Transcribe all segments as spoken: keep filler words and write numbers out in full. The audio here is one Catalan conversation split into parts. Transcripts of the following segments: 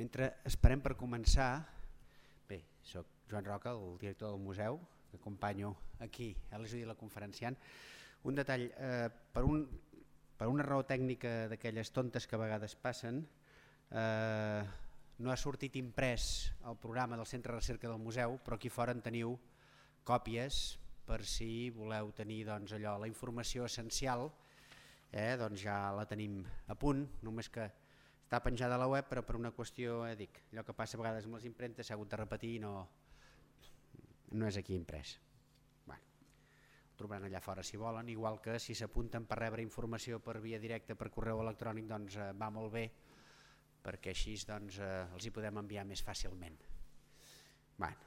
Mentre esperem per començar, bé, soc Joan Roca, el director del museu, que acompanyo aquí a l'estudi de la conferenciant. Un detall, eh, per, un, per una raó tècnica d'aquelles tontes que a vegades passen, eh, no ha sortit imprès el programa del Centre de Recerca del museu, però aquí fora en teniu còpies per si voleu tenir doncs, allò, la informació essencial, eh, doncs ja la tenim a punt, només que està penjada a la web, però per una qüestió, eh, dic, allò que passa a vegades amb les impremtes s'ha hagut de repetir i no, no és aquí imprès. Bueno, el trobaran allà fora si volen, igual que si s'apunten per rebre informació per via directa, per correu electrònic, doncs eh, va molt bé, perquè així doncs, eh, els hi podem enviar més fàcilment. Bueno.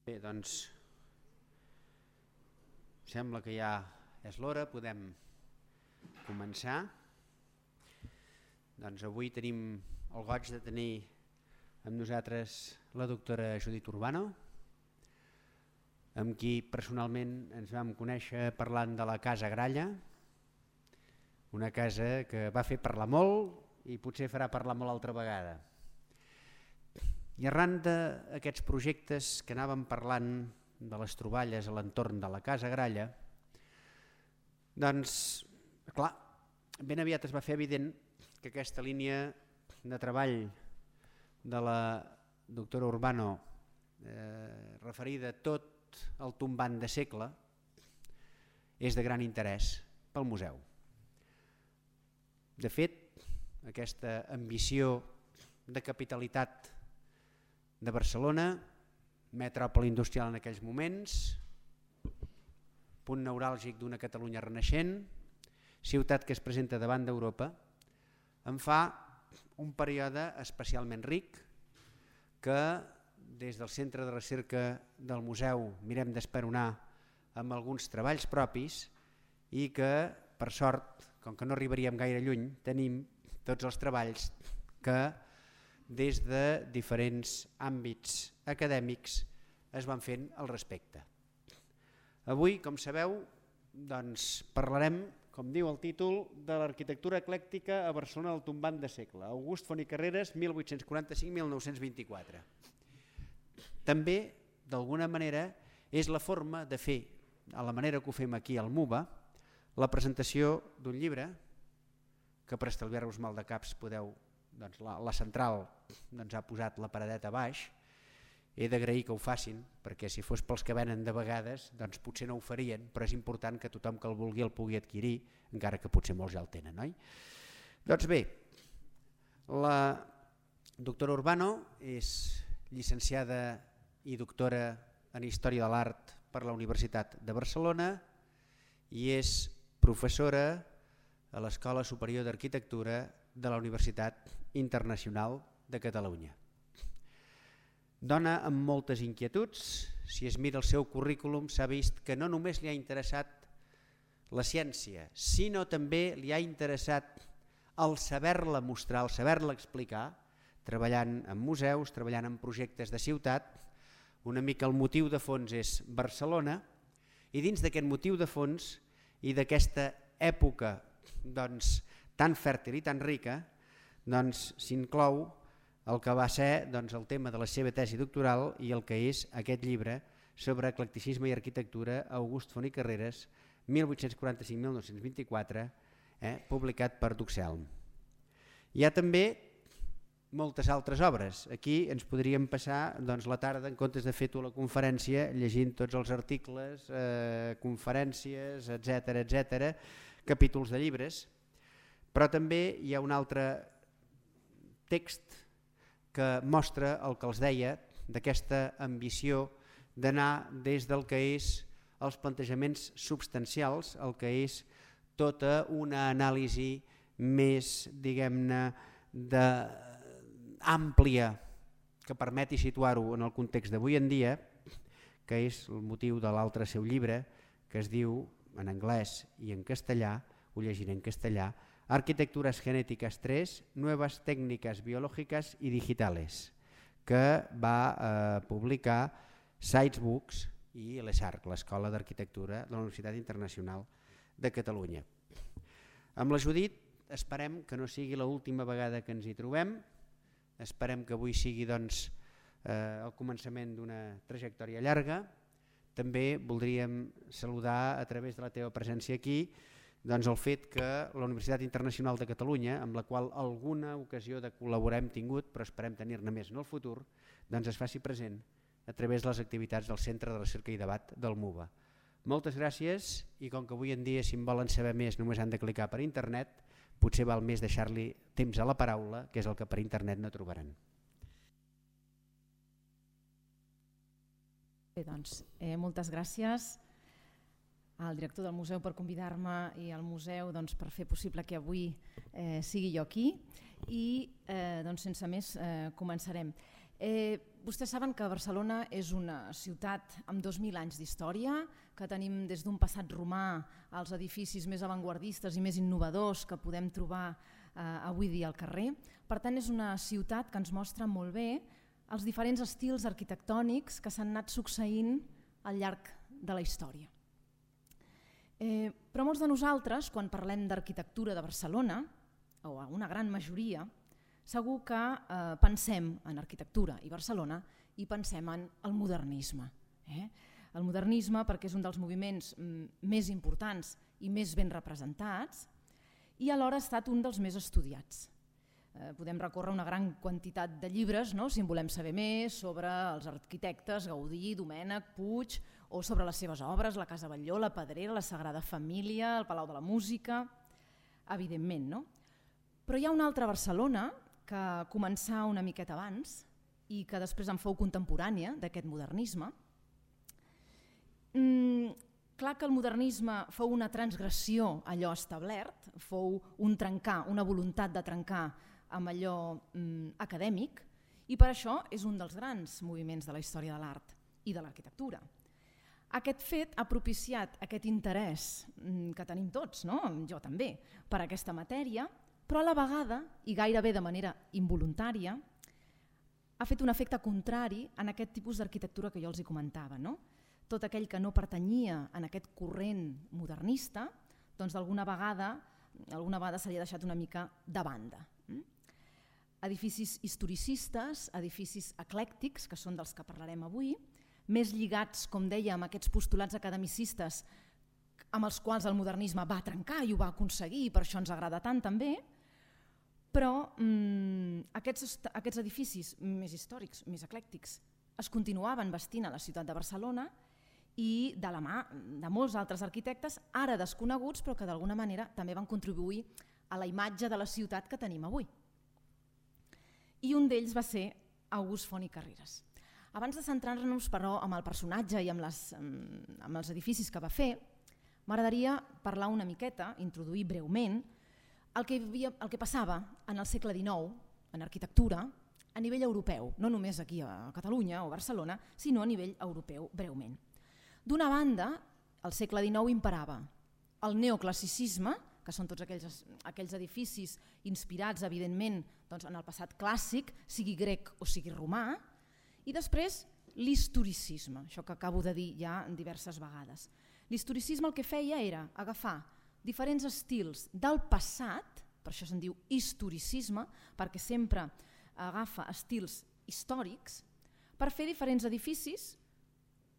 Bé, doncs sembla que ja és l'hora, podem començar. Doncs avui tenim el goig de tenir amb nosaltres la doctora Judit Urbano, amb qui personalment ens vam conèixer parlant de la Casa Gralla, una casa que va fer parlar molt i potser farà parlar molt altra vegada. I arran d'aquests projectes que anàvem parlant de les troballes a l'entorn de la Casa Gralla, doncs, clar, ben aviat es va fer evident que aquesta línia de treball de la doctora Urbano eh, referida a tot el tombant de segle és de gran interès pel museu. De fet, aquesta ambició de capitalitat de Barcelona, metròpoli industrial en aquells moments, punt neuràlgic d'una Catalunya renaixent, ciutat que es presenta davant d'Europa, en fa un període especialment ric que des del Centre de Recerca del museu mirem d'esperonar amb alguns treballs propis i que, per sort, com que no arribaríem gaire lluny, tenim tots els treballs que des de diferents àmbits acadèmics es van fent al respecte. Avui, com sabeu, doncs parlarem, com diu el títol, de l'arquitectura eclèctica a Barcelona del tombant de segle, August Font i Carreras, mil vuit-cents quaranta-cinc a mil nou-cents vint-i-quatre. També, d'alguna manera, és la forma de fer, a la manera que ho fem aquí al MUBA, la presentació d'un llibre, que per estalviar-vos mal de caps podeu, doncs la, la central doncs ha posat la paradeta a baix. He d'agrair que ho facin, perquè si fos pels que venen de vegades doncs potser no ho farien, però és important que tothom que el vulgui el pugui adquirir, encara que potser molts ja el tenen, oi? Doncs bé, la Doctora Urbano és llicenciada i doctora en Història de l'Art per la Universitat de Barcelona i és professora a l'Escola Superior d'Arquitectura de la Universitat Internacional de Catalunya. Dona amb moltes inquietuds, si es mira el seu currículum s'ha vist que no només li ha interessat la ciència, sinó també li ha interessat el saber-la mostrar, el saber-la explicar, treballant en museus, treballant en projectes de ciutat. Una mica el motiu de fons és Barcelona i dins d'aquest motiu de fons i d'aquesta època doncs, tan fèrtil i tan rica doncs, s'inclou el que va ser doncs, el tema de la seva tesi doctoral i el que és aquest llibre sobre eclecticisme i arquitectura August Font i Carreras mil vuit-cents quaranta-cinc a mil nou-cents vint-i-quatre, eh, publicat per Duxelm. Hi ha també moltes altres obres. Aquí ens podríem passar doncs, la tarda en comptes de fer tu la conferència llegint tots els articles, eh, conferències, etcètera, etcètera, capítols de llibres, però també hi ha un altre text que mostra el que els deia d'aquesta ambició d'anar des del que és els plantejaments substancials, el que és tota una anàlisi més, diguem-ne, àmplia que permeti situar-ho en el context d'avui en dia, que és el motiu de l'altre seu llibre, que es diu en anglès i en castellà, ho llegiré en castellà, Arquitecturas Genéticas tres, Nuevas Técnicas Biológicas y Digitales, que va eh, publicar Sites Books i l'E S A R C, l'Escola d'Arquitectura de la Universitat Internacional de Catalunya. Amb la Judit esperem que no sigui l'última vegada que ens hi trobem, esperem que avui sigui doncs, eh, el començament d'una trajectòria llarga. També voldríem saludar a través de la teva presència aquí doncs, el fet que la Universitat Internacional de Catalunya, amb la qual alguna ocasió de col·laborar hem tingut, però esperem tenir-ne més en el futur, doncs es faci present a través de les activitats del Centre de Recerca i Debat del MUVA. Moltes gràcies i com que avui en dia si en volen saber més només han de clicar per internet, potser val més deixar-li temps a la paraula, que és el que per internet no trobaran. Bé, doncs, eh, moltes gràcies al director del museu per convidar-me i al museu doncs, per fer possible que avui eh, sigui jo aquí i eh, doncs, sense més eh, començarem. Eh, vostès saben que Barcelona és una ciutat amb dos mil anys d'història, que tenim des d'un passat romà als edificis més avantguardistes i més innovadors que podem trobar eh, avui dia al carrer. Per tant, és una ciutat que ens mostra molt bé els diferents estils arquitectònics que s'han anat succeint al llarg de la història. Eh, però molts de nosaltres, quan parlem d'arquitectura de Barcelona, o una gran majoria, segur que eh, pensem en arquitectura i Barcelona i pensem en el modernisme. Eh? El modernisme perquè és un dels moviments mm, més importants i més ben representats i alhora ha estat un dels més estudiats. Eh, podem recórrer una gran quantitat de llibres, no? Si en volem saber més sobre els arquitectes Gaudí, Domènech, Puig, o sobre les seves obres, la Casa Batlló, la Pedrera, la Sagrada Família, el Palau de la Música, evidentment, no? Però hi ha una altra Barcelona que començà una miqueta abans i que després en fou contemporània d'aquest modernisme. Mm, clar que el modernisme fou una transgressió a allò establert, fou un trencar, una voluntat de trencar amb allò mm, acadèmic i per això és un dels grans moviments de la història de l'art i de l'arquitectura. Aquest fet ha propiciat aquest interès que tenim tots, no? Jo també, per aquesta matèria, però a la vegada, i gairebé de manera involuntària, ha fet un efecte contrari en aquest tipus d'arquitectura que jo els hi comentava. No? Tot aquell que no pertanyia en aquest corrent modernista, doncs d'alguna vegada, alguna vegada se li ha deixat una mica de banda. Edificis historicistes, edificis eclèctics, que són dels que parlarem avui, més lligats, com deia, amb aquests postulats academicistes amb els quals el modernisme va trencar i ho va aconseguir, i per això ens agrada tant també, però mmm, aquests, aquests edificis més històrics, més eclèctics, es continuaven vestint a la ciutat de Barcelona i de la mà de molts altres arquitectes, ara desconeguts, però que d'alguna manera també van contribuir a la imatge de la ciutat que tenim avui. i un d'ells va ser August Font i Carreras. Abans de centrar-nos, però, en el personatge i amb, les, amb els edificis que va fer, m'agradaria parlar una miqueta, introduir breument, el que, havia, el que passava en el segle dinou, en arquitectura, a nivell europeu, no només aquí a Catalunya o Barcelona, sinó a nivell europeu breument. D'una banda, al segle dinou imperava el neoclassicisme, que són tots aquells, aquells edificis inspirats, evidentment, doncs, en el passat clàssic, sigui grec o sigui romà, i després l'historicisme, això que acabo de dir ja diverses vegades. L'historicisme el que feia era agafar diferents estils del passat, per això se'n diu historicisme, perquè sempre agafa estils històrics, per fer diferents edificis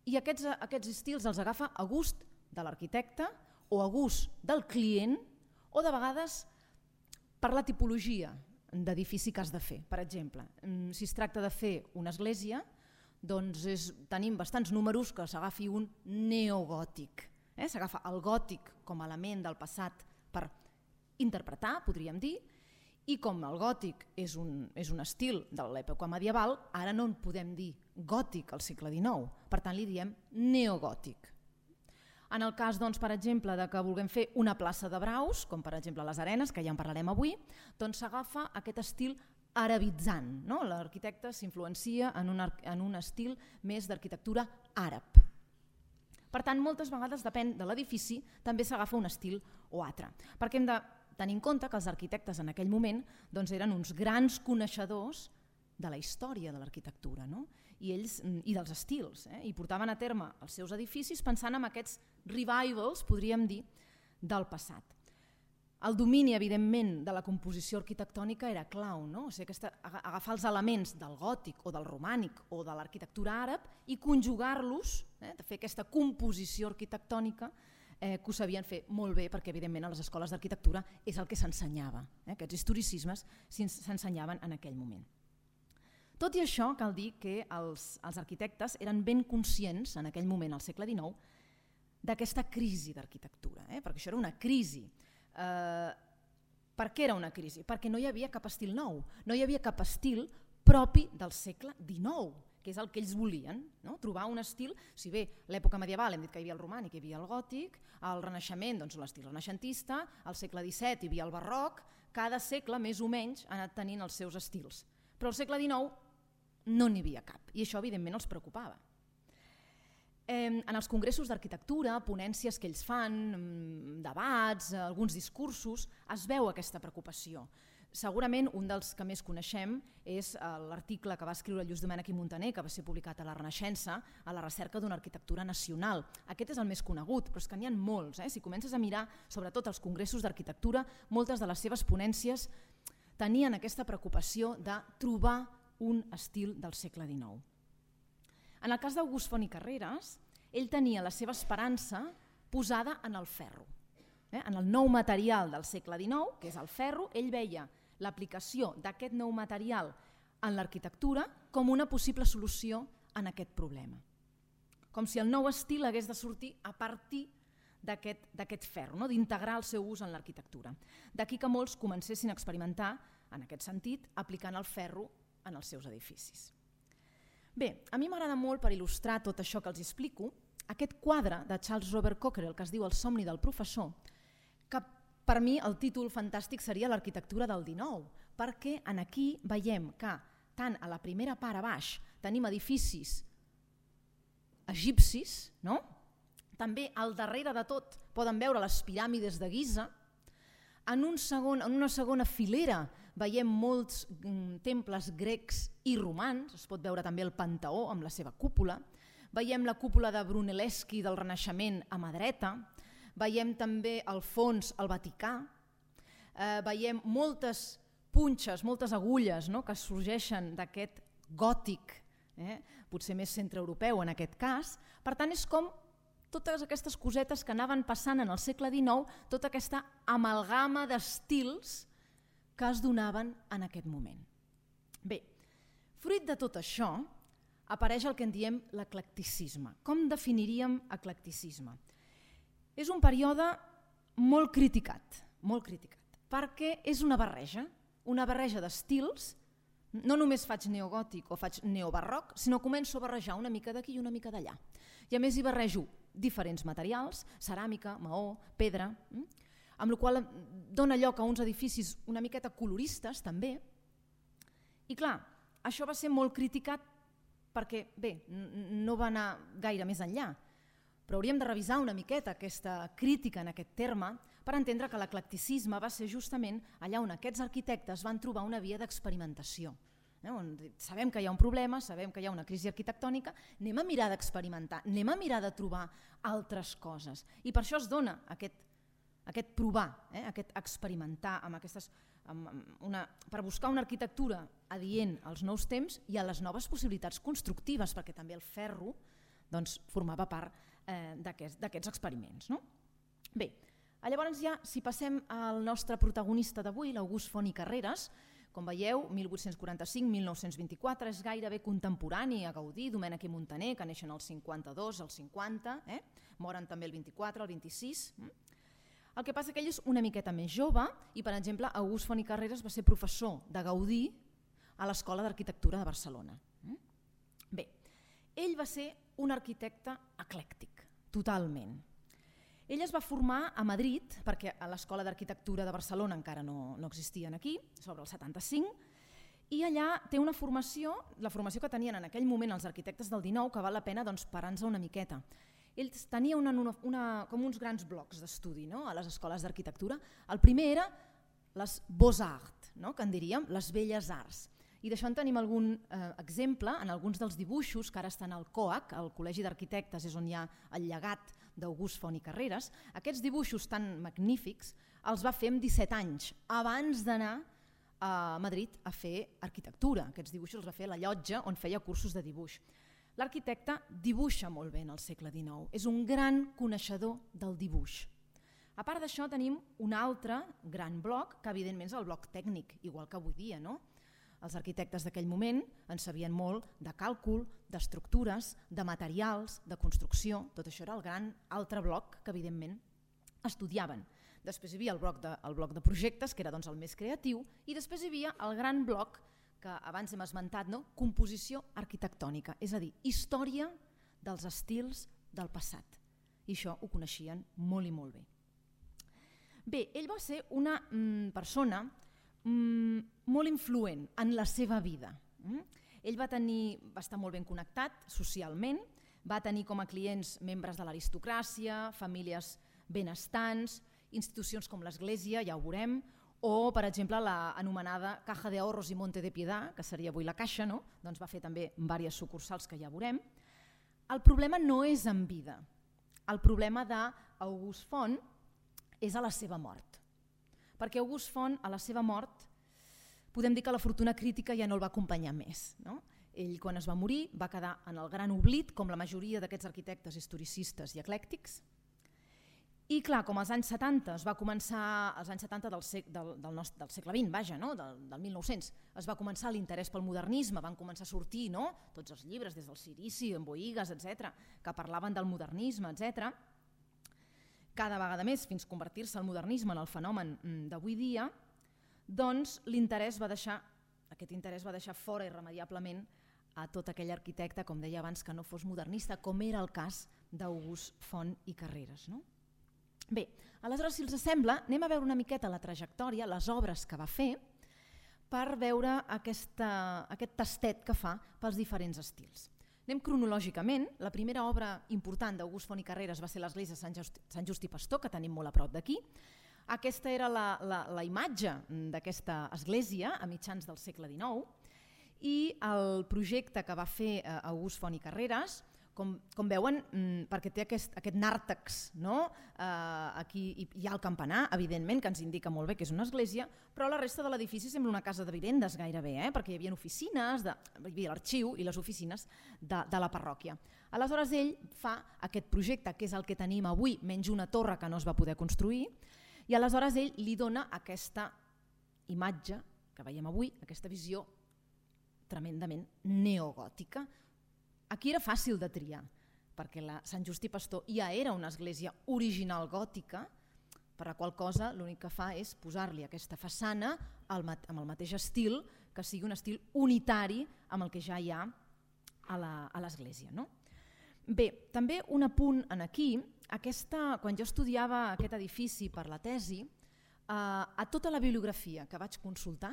i aquests, aquests estils els agafa a gust de l'arquitecte o a gust del client o de vegades per la tipologia d'edifici que has de fer. Per exemple, si es tracta de fer una església, doncs és, tenim bastants números que s'agafi un neogòtic. Eh? S'agafa el gòtic com a element del passat per interpretar, podríem dir, i com el gòtic és un, és un estil de l'època medieval, ara no en podem dir gòtic al segle dinou, per tant li diem neogòtic. En el cas, doncs, per exemple, de que vulguem fer una plaça de braus, com per exemple les Arenes, que ja en parlarem avui, doncs s'agafa aquest estil arabitzant. No? L'arquitecte s'influencia en, un, en un estil més d'arquitectura àrab. Per tant, moltes vegades, depèn de l'edifici, també s'agafa un estil o altre. Perquè hem de tenir en compte que els arquitectes en aquell moment doncs, eren uns grans coneixedors de la història de l'arquitectura, no? I ells i dels estils, eh? I portaven a terme els seus edificis pensant en aquests revivals, podríem dir, del passat. El domini, evidentment, de la composició arquitectònica era clau, no? O sigui, aquesta, agafar els elements del gòtic o del romànic o de l'arquitectura àrab i conjugar-los, eh? De fer aquesta composició arquitectònica eh, que ho sabien fer molt bé perquè, evidentment, a les escoles d'arquitectura és el que s'ensenyava. Eh? Aquests historicismes s'ensenyaven en aquell moment. Tot i això, cal dir que els, els arquitectes eren ben conscients, en aquell moment, al segle dinou, d'aquesta crisi d'arquitectura, eh? Perquè això era una crisi. Eh, per què era una crisi? Perquè no hi havia cap estil nou, no hi havia cap estil propi del segle dinou, que és el que ells volien, no? Trobar un estil, si bé l'època medieval hem dit que hi havia el romànic, hi havia el gòtic, el renaixement, doncs l'estil renaixentista, al segle disset hi havia el barroc, cada segle més o menys ha anat tenint els seus estils. Però al segle dinou no n'hi havia cap, i això evidentment els preocupava. En els congressos d'arquitectura, ponències que ells fan, debats, alguns discursos, es veu aquesta preocupació. Segurament un dels que més coneixem és l'article que va escriure Lluís Domènech i Muntaner, que va ser publicat a la Renaixença, a la recerca d'una arquitectura nacional. Aquest és el més conegut, però és que n'hi ha molts. Eh? Si comences a mirar, sobretot els congressos d'arquitectura, moltes de les seves ponències tenien aquesta preocupació de trobar un estil del segle dinou. En el cas d'August Font i Carreras, ell tenia la seva esperança posada en el ferro. Eh? En el nou material del segle dinou, que és el ferro, ell veia l'aplicació d'aquest nou material en l'arquitectura com una possible solució en aquest problema. Com si el nou estil hagués de sortir a partir d'aquest ferro, no? D'integrar el seu ús en l'arquitectura. D'aquí que molts comencessin a experimentar, en aquest sentit, aplicant el ferro en els seus edificis. Bé, a mi m'agrada molt, per il·lustrar tot això que els explico, aquest quadre de Charles Robert Cockerell que es diu El somni del professor, que per mi el títol fantàstic seria l'arquitectura del dinou, perquè en aquí veiem que tant a la primera part a baix tenim edificis egipcis, no? També al darrere de tot poden veure les piràmides de Giza. En, un segon, en una segona filera veiem molts mm, temples grecs i romans, es pot veure també el Panteó amb la seva cúpula, veiem la cúpula de Brunelleschi del Renaixement a mà dreta, veiem també al fons el Vaticà, eh, veiem moltes punxes, moltes agulles, no?, que sorgeixen d'aquest gòtic, eh, potser més centreeuropeu en aquest cas. Per tant, és com totes aquestes cosetes que anaven passant en el segle dinou, tota aquesta amalgama d'estils que es donaven en aquest moment. Bé, fruit de tot això, apareix el que en diem l'eclecticisme. Com definiríem eclecticisme? És un període molt criticat, molt criticat, perquè és una barreja, una barreja d'estils No només faig neogòtic o faig neobarroc, sinó començo a barrejar una mica d'aquí i una mica d'allà. I a més hi barrejo diferents materials, ceràmica, maó, pedra, amb la qual cosa dona lloc a uns edificis una miqueta coloristes també. I clar, això va ser molt criticat perquè, bé, no va anar gaire més enllà, però hauríem de revisar una miqueta aquesta crítica en aquest terme per entendre que l'eclecticisme va ser justament allà on aquests arquitectes van trobar una via d'experimentació. Sabem que hi ha un problema, sabem que hi ha una crisi arquitectònica, anem a mirar d'experimentar, anem a mirar de trobar altres coses. I per això es dona aquest, aquest provar, eh? aquest experimentar amb aquestes, amb una, per buscar una arquitectura adient als nous temps i a les noves possibilitats constructives, perquè també el ferro doncs, formava part eh, d'aquests experiments. No? Bé, llavors ja, si passem al nostre protagonista d'avui, l'August Font i Carreras, com veieu, mil vuit-cents quaranta-cinc a mil nou-cents vint-i-quatre, és gairebé contemporani a Gaudí, Domènech i Muntaner, que neixen al cinquanta-dos, al cinquanta, eh? moren també el vint-i-quatre, el vint-i-sis. El que passa que ell és una miqueta més jove i, per exemple, August Font i Carreras va ser professor de Gaudí a l'Escola d'Arquitectura de Barcelona. Bé, ell va ser un arquitecte eclèctic, totalment. Ell es va formar a Madrid, perquè a l'Escola d'Arquitectura de Barcelona encara no, no existien aquí, sobre el setanta-cinc, i allà té una formació, la formació que tenien en aquell moment els arquitectes del dinou, que val la pena doncs, parar-nos una miqueta. Ells tenien una, una, com uns grans blocs d'estudi, no? A les escoles d'arquitectura. El primer era les Beaux-Arts, no? Que en diríem les belles arts. I d'això en tenim algun eh, exemple en alguns dels dibuixos que ara estan al COAC, al Col·legi d'Arquitectes, és on hi ha el llegat d'August Font i Carreras. Aquests dibuixos tan magnífics els va fer amb disset anys, abans d'anar a Madrid a fer arquitectura. Aquests dibuixos els va fer a la llotja on feia cursos de dibuix. L'arquitecte dibuixa molt bé en el segle dinou, és un gran coneixedor del dibuix. A part d'això tenim un altre gran bloc, que evidentment és el bloc tècnic, igual que avui dia, no? Els arquitectes d'aquell moment en sabien molt de càlcul, d'estructures, de materials, de construcció, tot això era el gran altre bloc que evidentment estudiaven. Després hi havia el bloc de, el bloc de projectes, que era doncs, el més creatiu, i després hi havia el gran bloc que abans hem esmentat, no? Composició arquitectònica, és a dir, història dels estils del passat. I això ho coneixien molt i molt bé. Bé, ell va ser una mm, persona mm, molt influent en la seva vida. Mm? Ell va, tenir, va estar molt ben connectat socialment, va tenir com a clients membres de l'aristocràcia, famílies benestants, institucions com l'Església, ja ho veurem, o, per exemple, l'anomenada Caja de Ahorros i Monte de Piedad, que seria avui la Caixa, no? Doncs va fer també diverses sucursals que ja veurem. El problema no és en vida. El problema d'August Font és a la seva mort. Perquè August Font, a la seva mort, podem dir que la fortuna crítica ja no el va acompanyar més. No? Ell, quan es va morir, va quedar en el gran oblit, com la majoria d'aquests arquitectes historicistes i eclèctics. I clar, com als anys setanta, es va començar, als anys setanta del, sec, del, del, nostre, del segle vint, vaja, no? del, del mil nou-cents, es va començar l'interès pel modernisme, van començar a sortir, no? Tots els llibres, des del Sirici, en Boïgues, etcètera, que parlaven del modernisme, etcètera. Cada vegada més, fins convertir-se el modernisme en el fenomen d'avui dia, doncs l'interès va deixar, aquest interès va deixar fora irremeiablement a tot aquell arquitecte, com deia abans, que no fos modernista, com era el cas d'August Font i Carreras. No? Bé, aleshores, si els sembla, anem a veure una miqueta la trajectòria, les obres que va fer, per veure aquesta, aquest tastet que fa pels diferents estils. Anem cronològicament. La primera obra important d'August Font i Carreras va ser l'església de Sant Just, Sant Just i Pastor, que tenim molt a prop d'aquí. Aquesta era la, la, la imatge d'aquesta església a mitjans del segle dinou i el projecte que va fer August Font i Carreras, com, com veuen, perquè té aquest, aquest nàrtex, no? eh, aquí hi ha el campanar, evidentment, que ens indica molt bé que és una església, però la resta de l'edifici sembla una casa de vivendes gairebé, eh? Perquè hi havia oficines, de, hi havia l'arxiu i les oficines de, de la parròquia. Aleshores ell fa aquest projecte, que és el que tenim avui, menys una torre que no es va poder construir, i aleshores ell li dona aquesta imatge que veiem avui, aquesta visió tremendament neogòtica. Aquí era fàcil de triar, perquè la Sant Just i Pastor ja era una església original gòtica, per la qual cosa l'únic que fa és posar-li aquesta façana amb el mateix estil, que sigui un estil unitari amb el que ja hi ha a l'església. No? Bé, també un apunt en aquí, aquesta, quan jo estudiava aquest edifici per la tesi, eh, a tota la bibliografia que vaig consultar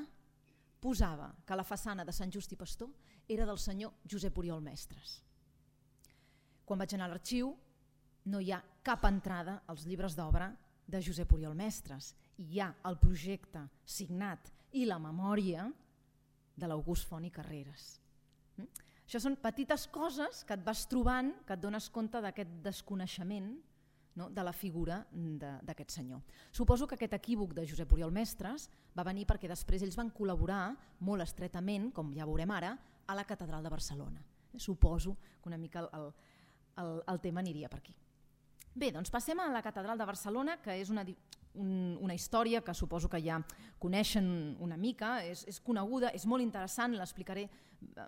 posava que la façana de Sant Just i Pastor era del senyor Josep Oriol Mestres. Quan vaig anar a l'arxiu no hi ha cap entrada als llibres d'obra de Josep Oriol Mestres. Hi ha el projecte signat i la memòria de l'August Font i Carreras. Això són petites coses que et vas trobant, que et dones compte d'aquest desconeixement, no?, de la figura d'aquest senyor. Suposo que aquest equívoc de Josep Oriol Mestres va venir perquè després ells van col·laborar molt estretament, com ja veurem ara, a la Catedral de Barcelona. Suposo que una mica el, el, el tema aniria per aquí. Bé, doncs passem a la Catedral de Barcelona, que és una, un, una història que suposo que ja coneixen una mica, és, és coneguda, és molt interessant, l'explicaré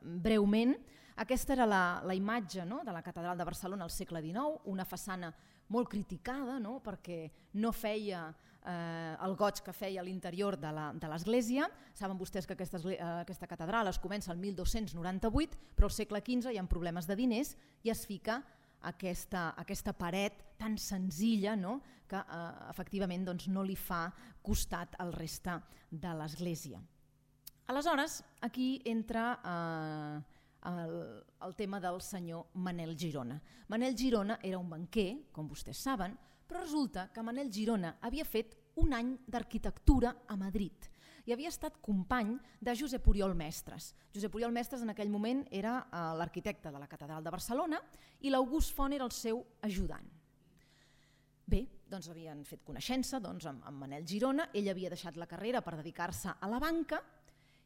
breument. Aquesta era la, la imatge, no?, de la Catedral de Barcelona al segle dinou, una façana molt criticada, no?, perquè no feia eh, el goig que feia a l'interior de l'església. Saben vostès que aquesta, aquesta catedral es comença el mil dos-cents noranta-vuit, però al segle quinze hi ha problemes de diners i es fica aquesta, aquesta paret tan senzilla, no?, que eh, efectivament doncs, no li fa costat al reste de l'església. Aleshores, aquí entra eh, el, el tema del senyor Manel Girona. Manel Girona era un banquer, com vostès saben, però resulta que Manel Girona havia fet un any d'arquitectura a Madrid i havia estat company de Josep Oriol Mestres. Josep Oriol Mestres en aquell moment era eh, l'arquitecte de la Catedral de Barcelona i l'August Font era el seu ajudant. Bé, doncs havien fet coneixença doncs, amb, amb Manel Girona, ell havia deixat la carrera per dedicar-se a la banca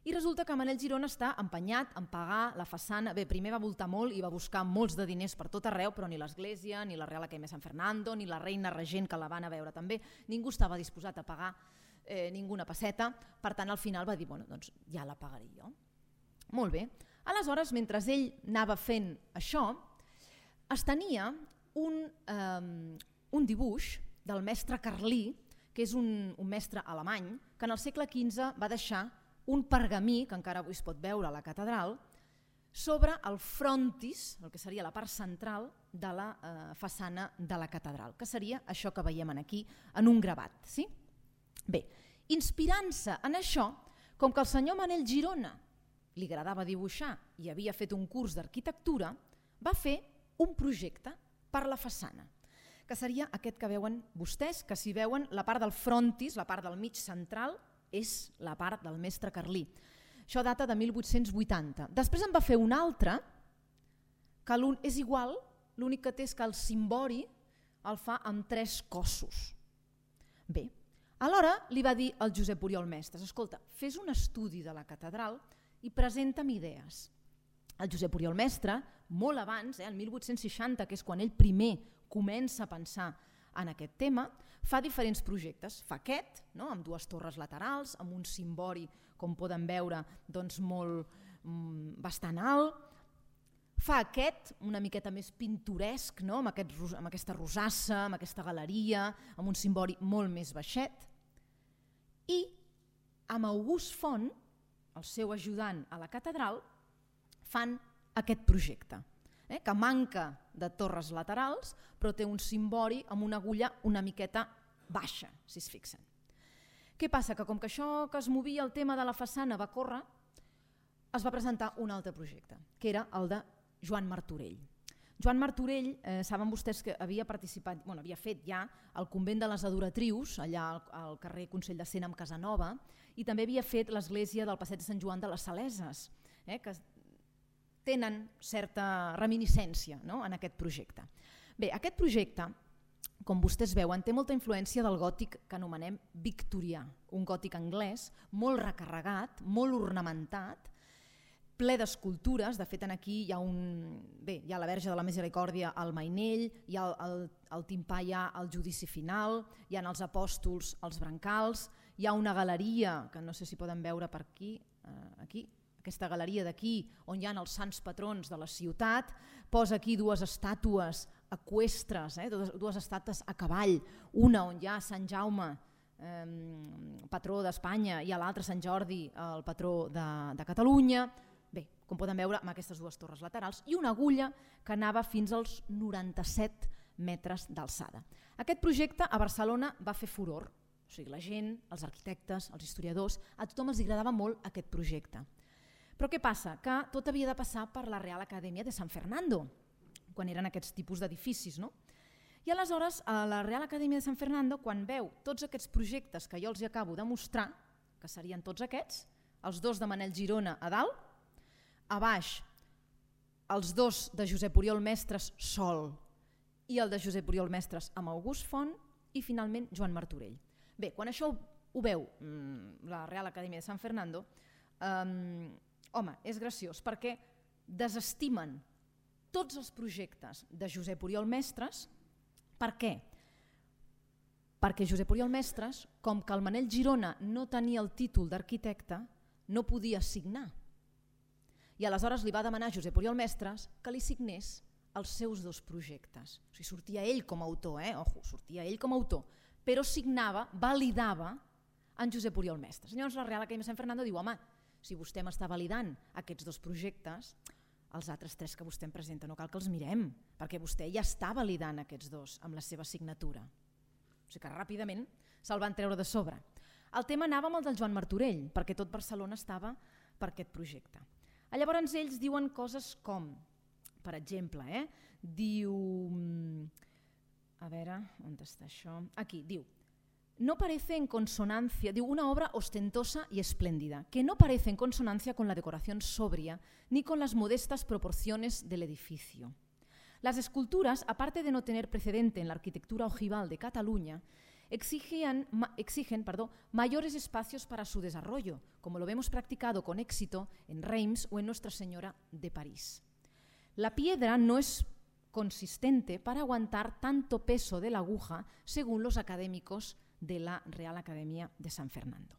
i resulta que Manel Girona està empenyat en pagar la façana. Bé, primer va voltar molt i va buscar molts de diners per tot arreu, però ni l'església, ni la Real Academia de San Fernando, ni la reina regent que la van a veure també, ningú estava disposat a pagar eh, ninguna pesseta, per tant al final va dir, bueno, doncs ja la pagaré jo. Molt bé. Aleshores, mentre ell anava fent això, es tenia un, eh, un dibuix del mestre Carlí, que és un, un mestre alemany, que en el segle quinze va deixar un pergamí, que encara avui es pot veure a la catedral, sobre el frontis, el que seria la part central de la eh, façana de la catedral, que seria això que veiem aquí en un gravat. Sí? Bé, inspirant-se en això, com que el senyor Manel Girona li agradava dibuixar i havia fet un curs d'arquitectura, va fer un projecte per la façana, que seria aquest que veuen vostès, que si veuen la part del frontis, la part del mig central, és la part del mestre Carlí. Això data de mil vuit-cents vuitanta. Després en va fer un altre, que és igual, l'únic que té és que el cimbori el fa amb tres cossos. Bé, alhora li va dir al Josep Oriol Mestres, escolta, fes un estudi de la catedral i presenta'm idees. El Josep Oriol Mestre, molt abans, eh, el mil vuit-cents seixanta, que és quan ell primer comença a pensar en aquest tema, fa diferents projectes. Fa aquest, no?, amb dues torres laterals, amb un cimbori, com poden veure, doncs molt, mm, bastant alt. Fa aquest, una miqueta més pintoresc, no?, amb, aquest, amb aquesta rosassa, amb aquesta galeria, amb un cimbori molt més baixet. I amb August Font, el seu ajudant a la catedral, fan aquest projecte, eh, que manca de torres laterals, però té un cimbori amb una agulla una miqueta baixa, si es fixen. Què passa? Que com que això que es movia el tema de la façana va córrer, es va presentar un altre projecte, que era el de Joan Martorell. Joan Martorell, eh, saben vostès que havia participat, bueno, havia fet ja el convent de les Adoratrius, allà al, al carrer Consell de Cent amb Casanova, i també havia fet l'església del Passeig de Sant Joan de les Saleses, eh, que tenen certa reminiscència, no?, en aquest projecte. Bé, aquest projecte, com vostès veuen, té molta influència del gòtic que anomenem victorià, un gòtic anglès molt recarregat, molt ornamentat, ple d'escultures. De fet, aquí hi ha, un, bé, hi ha la Verge de la Misericòrdia al Mainell, hi ha el, el, el timpà, hi ha el judici final, hi ha els apòstols, els brancals, hi ha una galeria, que no sé si poden veure per aquí, eh, aquí, aquesta galeria d'aquí, on hi ha els sants patrons de la ciutat, posa aquí dues estàtues eqüestres, eh, dues, dues estàtues a cavall, una on hi ha Sant Jaume eh, patró d'Espanya, i a l'altre Sant Jordi, el patró de, de Catalunya. Bé, com poden veure, amb aquestes dues torres laterals i una agulla que anava fins als noranta-set metres d'alçada. Aquest projecte a Barcelona va fer furor, o sigui, la gent, els arquitectes, els historiadors, a tothom els agradava molt aquest projecte. Però què passa? Que tot havia de passar per la Real Acadèmia de San Fernando, quan eren aquests tipus d'edificis, no? I aleshores, a la Real Acadèmia de San Fernando, quan veu tots aquests projectes que jo els acabo de mostrar, que serien tots aquests, els dos de Manel Girona a dalt, a baix els dos de Josep Oriol Mestres sol i el de Josep Oriol Mestres amb August Font i finalment Joan Martorell. Bé, quan això ho veu la Real Acadèmia de San Fernando, eh, home, és graciós perquè desestimen tots els projectes de Josep Oriol Mestres. Per què? Perquè Josep Oriol Mestres, com que el Manel Girona no tenia el títol d'arquitecte, no podia signar. I aleshores li va demanar a Josep Oriol Mestres que li signés els seus dos projectes. O sigui, sortia ell com a autor, eh? Ojo, sortia ell com a autor, però signava, validava en Josep Oriol Mestres. Llavors la Real Acadèmia de San Fernando diu, home, si vostè m'està validant aquests dos projectes, els altres tres que vostè em presenta no cal que els mirem, perquè vostè ja està validant aquests dos amb la seva signatura. O sigui que ràpidament se'l van treure de sobre. El tema anava amb el del Joan Martorell, perquè tot Barcelona estava per aquest projecte. Llavors ells diuen coses com, per exemple, eh, diu, a veure, on està això? Aquí, diu, no parece en consonancia, diu, una obra ostentosa y espléndida, que no parece en consonancia con la decoración sobria ni con las modestas proporciones del edificio. Las esculturas, aparte de no tener precedente en la arquitectura ojival de Cataluña, Exigen, exigen perdón, mayores espacios para su desarrollo, como lo vemos practicado con éxito en Reims o en Nuestra Señora de París. La piedra no es consistente para aguantar tanto peso de la aguja, según los académicos de la Real Acadèmia de San Fernando.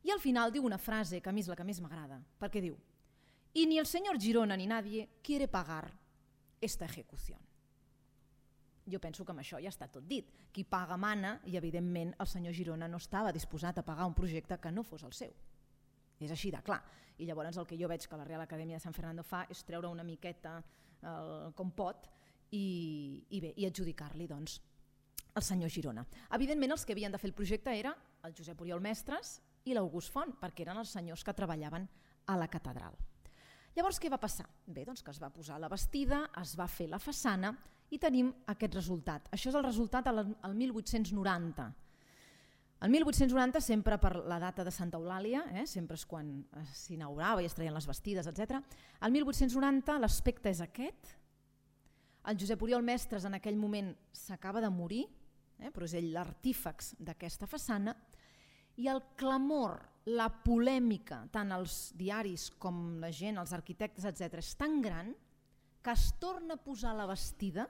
I al final diu una frase que a mi és la que més m'agrada, perquè diu, y ni el señor Girona ni nadie quiere pagar esta ejecución. Jo penso que amb això ja està tot dit. Qui paga mana i, evidentment, el senyor Girona no estava disposat a pagar un projecte que no fos el seu. És així de clar. I llavors el que jo veig que la Real Acadèmia de San Fernando fa és treure una miqueta el, com pot i, i, bé, i adjudicar-li doncs, al senyor Girona. Evidentment, els que havien de fer el projecte era el Josep Oriol Mestres i l'August Font, perquè eren els senyors que treballaven a la catedral. Llavors, què va passar? Bé, doncs que es va posar la bastida, es va fer la façana i tenim aquest resultat. Això és el resultat al mil vuit-cents noranta. El mil vuit-cents noranta, sempre per la data de Santa Eulàlia, eh, sempre és quan s'inaugurava i es treien les bastides, etcètera. El mil vuit-cents noranta l'aspecte és aquest. El Josep Oriol Mestres en aquell moment s'acaba de morir, eh, però és ell l'artífex d'aquesta façana, i el clamor, la polèmica, tant als diaris com la gent, els arquitectes, etcètera, és tan gran que es torna a posar la bastida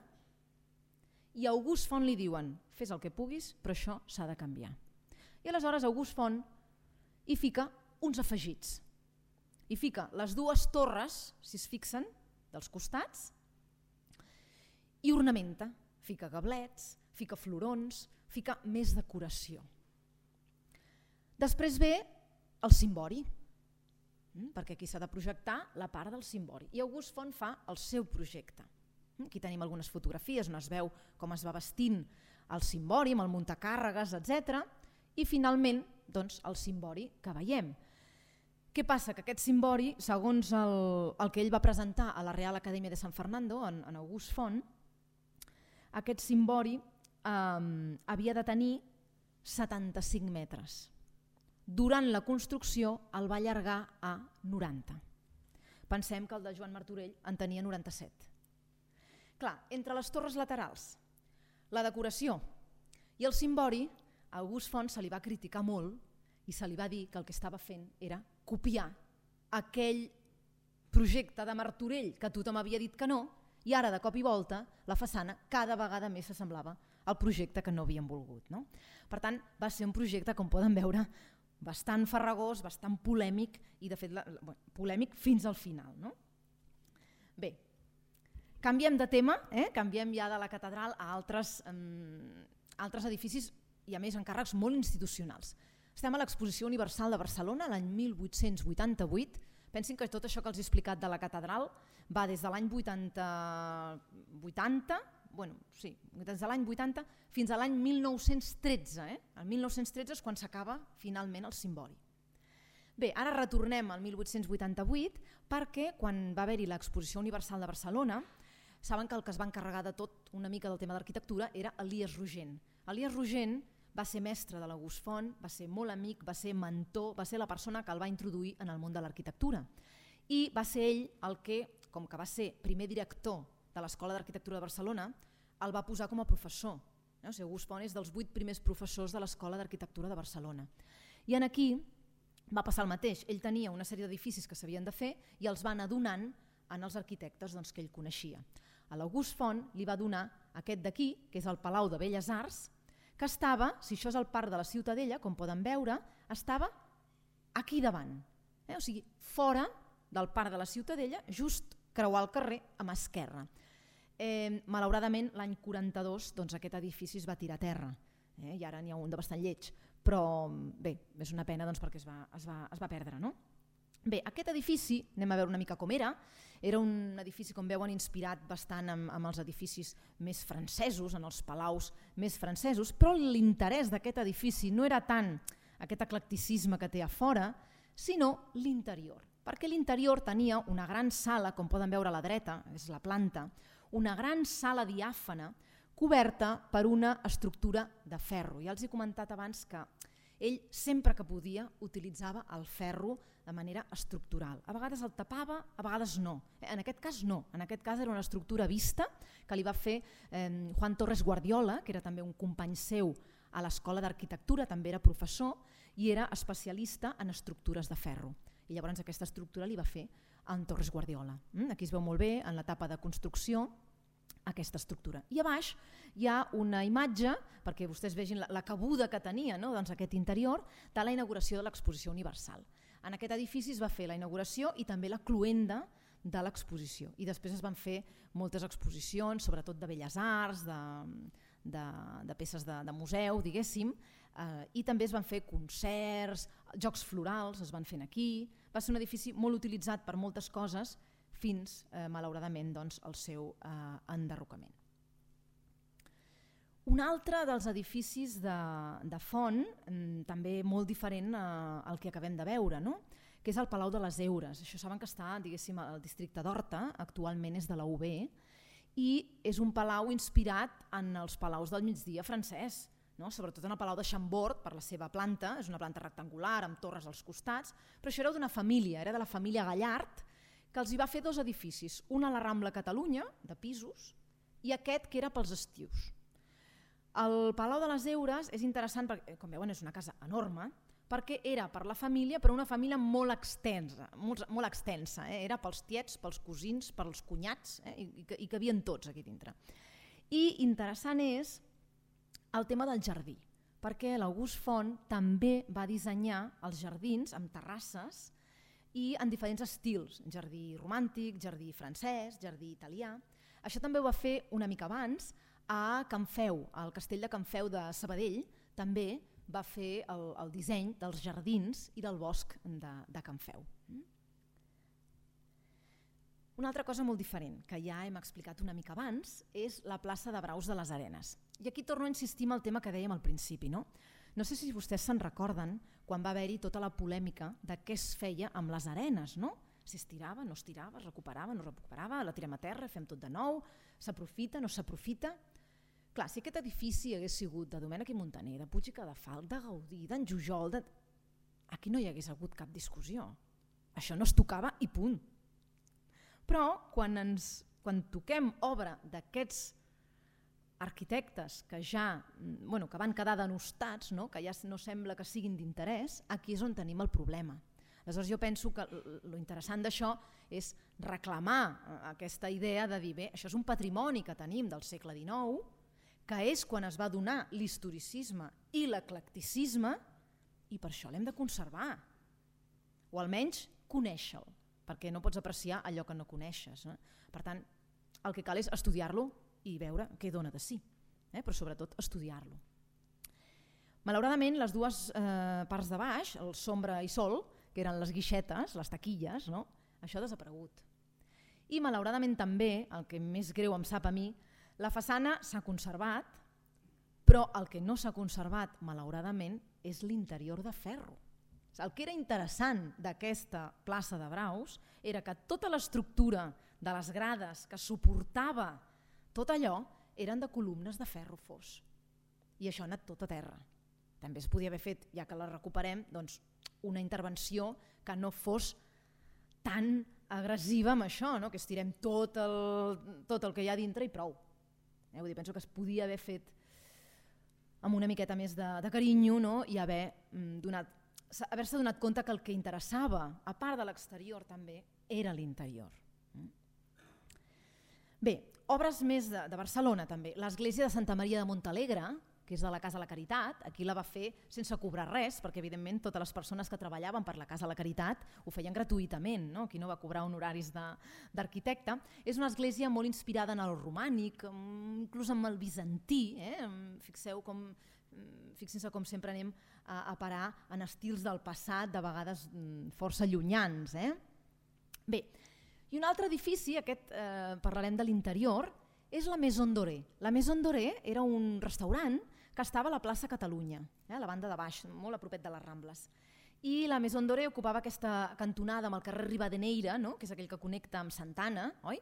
i a August Font li diuen fes el que puguis, però això s'ha de canviar. I aleshores August Font hi fica uns afegits. Hi fica les dues torres, si es fixen, dels costats, i ornamenta. Fica gablets, fica florons, fica més decoració. Després ve el cimbori, perquè aquí s'ha de projectar la part del cimbori. I August Font fa el seu projecte. Aquí tenim algunes fotografies on es veu com es va vestint el cimbori, amb el muntacàrregues, etcètera. I finalment, doncs, el cimbori que veiem. Què passa? Que aquest cimbori, segons el, el que ell va presentar a la Real Acadèmia de San Fernando, en, en August Font, aquest cimbori eh, havia de tenir setanta-cinc metres. Durant la construcció el va allargar a noranta. Pensem que el de Joan Martorell en tenia noranta-set. Clar, entre les torres laterals, la decoració i el cimbori, a August Font se li va criticar molt i se li va dir que el que estava fent era copiar aquell projecte de Martorell que tothom havia dit que no, i ara de cop i volta la façana cada vegada més s'assemblava al projecte que no havien volgut. No? Per tant, va ser un projecte, com poden veure, bastant farragós, bastant polèmic i de fet la, bueno, polèmic fins al final. No? Bé, canviem de tema, eh? Canviem ja de la catedral a altres, um, altres edificis i a més encàrrecs molt institucionals. Estem a l'Exposició Universal de Barcelona l'any mil vuit-cents vuitanta-vuit. Pensin que tot això que els he explicat de la catedral va des de l'any vuitanta, bueno, sí, des de l'any vuitanta fins a l'any mil nou-cents tretze. Eh? El mil nou-cents tretze és quan s'acaba finalment el cimbori. Bé, ara retornem al mil vuit-cents vuitanta-vuit perquè quan va haver-hi l'Exposició Universal de Barcelona saben que el que es va encarregar de tot una mica del tema d'arquitectura era Elies Rogent. Elies Rogent va ser mestre de l'August Font, va ser molt amic, va ser mentor, va ser la persona que el va introduir en el món de l'arquitectura. I va ser ell el que, com que va ser primer director de l'Escola d'Arquitectura de Barcelona, el va posar com a professor. O sigui, August Font és dels vuit primers professors de l'Escola d'Arquitectura de Barcelona. I en aquí va passar el mateix. Ell tenia una sèrie d'edificis que s'havien de fer i els va anar donant en els arquitectes doncs, que ell coneixia. A l'August Font li va donar aquest d'aquí, que és el Palau de Belles Arts, que estava, si això és el parc de la Ciutadella, com poden veure, estava aquí davant. Eh? O sigui, fora del parc de la Ciutadella, just creuar el carrer amb esquerra. Eh, malauradament, l'any quaranta-dos doncs, aquest edifici es va tirar a terra, eh? I ara n'hi ha un de bastant lleig, però bé, és una pena doncs, perquè es va, es va, es va perdre. No? Bé, aquest edifici, anem a veure una mica com era, era un edifici, com veuen, inspirat bastant amb, amb els edificis més francesos, en els palaus més francesos, però l'interès d'aquest edifici no era tant aquest eclecticisme que té a fora, sinó l'interior, perquè l'interior tenia una gran sala, com poden veure a la dreta, és la planta, una gran sala diàfana coberta per una estructura de ferro. Ja els he comentat abans que ell sempre que podia utilitzava el ferro de manera estructural. A vegades el tapava, a vegades no. En aquest cas no, en aquest cas era una estructura vista que li va fer eh, Juan Torres Guardiola, que era també un company seu a l'Escola d'Arquitectura, també era professor i era especialista en estructures de ferro. I llavors aquesta estructura li va fer en Torres Guardiola. Aquí es veu molt bé en l'etapa de construcció aquesta estructura. I a baix hi ha una imatge, perquè vostès vegin la, la cabuda que tenia, no? Doncs aquest interior, de la inauguració de l'Exposició Universal. En aquest edifici es va fer la inauguració i també la cloenda de l'exposició. I després es van fer moltes exposicions, sobretot de belles arts, de, de, de peces de, de museu, diguéssim, eh, i també es van fer concerts, jocs florals es van fer aquí. Va ser un edifici molt utilitzat per moltes coses, fins, eh, malauradament, doncs, el seu eh, enderrocament. Un altre dels edificis de, de Font, també molt diferent eh, al que acabem de veure, no? Que és el Palau de les Heures. Això saben que està, diguéssim, al districte d'Horta, actualment és de la U B, i és un palau inspirat en els palaus del migdia francès, no? Sobretot en el Palau de Chambord, per la seva planta, és una planta rectangular amb torres als costats, però això era d'una família, era de la família Gallard, que els hi va fer dos edificis, un a la Rambla Catalunya, de pisos, i aquest que era pels estius. El Palau de les Heures és interessant, perquè, com veuen, és una casa enorme, perquè era per la família, però una família molt extensa, molt, molt extensa eh? Era pels tiets, pels cosins, pels cunyats, eh? I, i, i cabien tots aquí dintre. I interessant és el tema del jardí, perquè l'August Font també va dissenyar els jardins amb terrasses i en diferents estils, jardí romàntic, jardí francès, jardí italià. Això també ho va fer una mica abans a Can Feu, al castell de Can Feu de Sabadell, també va fer el, el disseny dels jardins i del bosc de, de Can Feu. Una altra cosa molt diferent, que ja hem explicat una mica abans, és la plaça de Braus de les Arenes. I aquí torno a insistir en el tema que dèiem al principi, no? No sé si vostès se'n recorden quan va haver-hi tota la polèmica de què es feia amb les arenes, no? Si es tirava, no es tirava, es recuperava, no es recuperava, la tirem a terra, fem tot de nou, s'aprofita, no s'aprofita. Clar, si aquest edifici hagués sigut de Domènech i Montaner, de Puig i Cadafalch, de Gaudí, d'en Jujol, de... aquí no hi hagués hagut cap discussió. Això no es tocava i punt. Però quan, ens, quan toquem obra d'aquests arquitectes que ja bueno, que van quedar denostats, no? Que ja no sembla que siguin d'interès, aquí és on tenim el problema. Aleshores jo penso que lo interessant d'això és reclamar aquesta idea de dir, bé, això és un patrimoni que tenim del segle dinou, que és quan es va donar l'historicisme i l'eclecticisme i per això l'hem de conservar, o almenys conèixer-lo, perquè no pots apreciar allò que no coneixes. Eh? Per tant, el que cal és estudiar-lo i veure què dona de si, eh? Però sobretot estudiar-lo. Malauradament, les dues eh, parts de baix, el sombra i sol, que eren les guixetes, les taquilles, no? Això ha desaparegut. I malauradament també, el que més greu em sap a mi, la façana s'ha conservat, però el que no s'ha conservat, malauradament, és l'interior de ferro. El que era interessant d'aquesta plaça de Braus era que tota l'estructura de les grades que suportava tot allò eren de columnes de ferro fos. I això ha anat tot a terra. També es podia haver fet, ja que la recuperem, doncs, una intervenció que no fos tan agressiva amb això, no? Que estirem tot el, tot el que hi ha dintre i prou. Eh? Vull dir, penso que es podia haver fet amb una miqueta més de, de carinyo, no? I haver mm, donat haver-se donat compte que el que interessava, a part de l'exterior també, era l'interior. Bé, obres més de, de Barcelona també. L'església de Santa Maria de Montalegre, que és de la Casa de la Caritat, aquí la va fer sense cobrar res, perquè evidentment totes les persones que treballaven per la Casa de la Caritat ho feien gratuïtament, no? Aquí no va cobrar honoraris d'arquitecte. És una església molt inspirada en el romànic, inclús en el bizantí. Eh? Fixeu com, fixin-se com sempre anem a, a parar en estils del passat, de vegades força llunyans. Eh? Bé, i un altre edifici, aquest eh, parlarem de l'interior, és la Maison Doré. La Maison Doré era un restaurant que estava a la plaça Catalunya, eh, a la banda de baix, molt a propet de les Rambles. I la Maison Doré ocupava aquesta cantonada amb el carrer Rivadeneira, no? Que és aquell que connecta amb Santana, oi?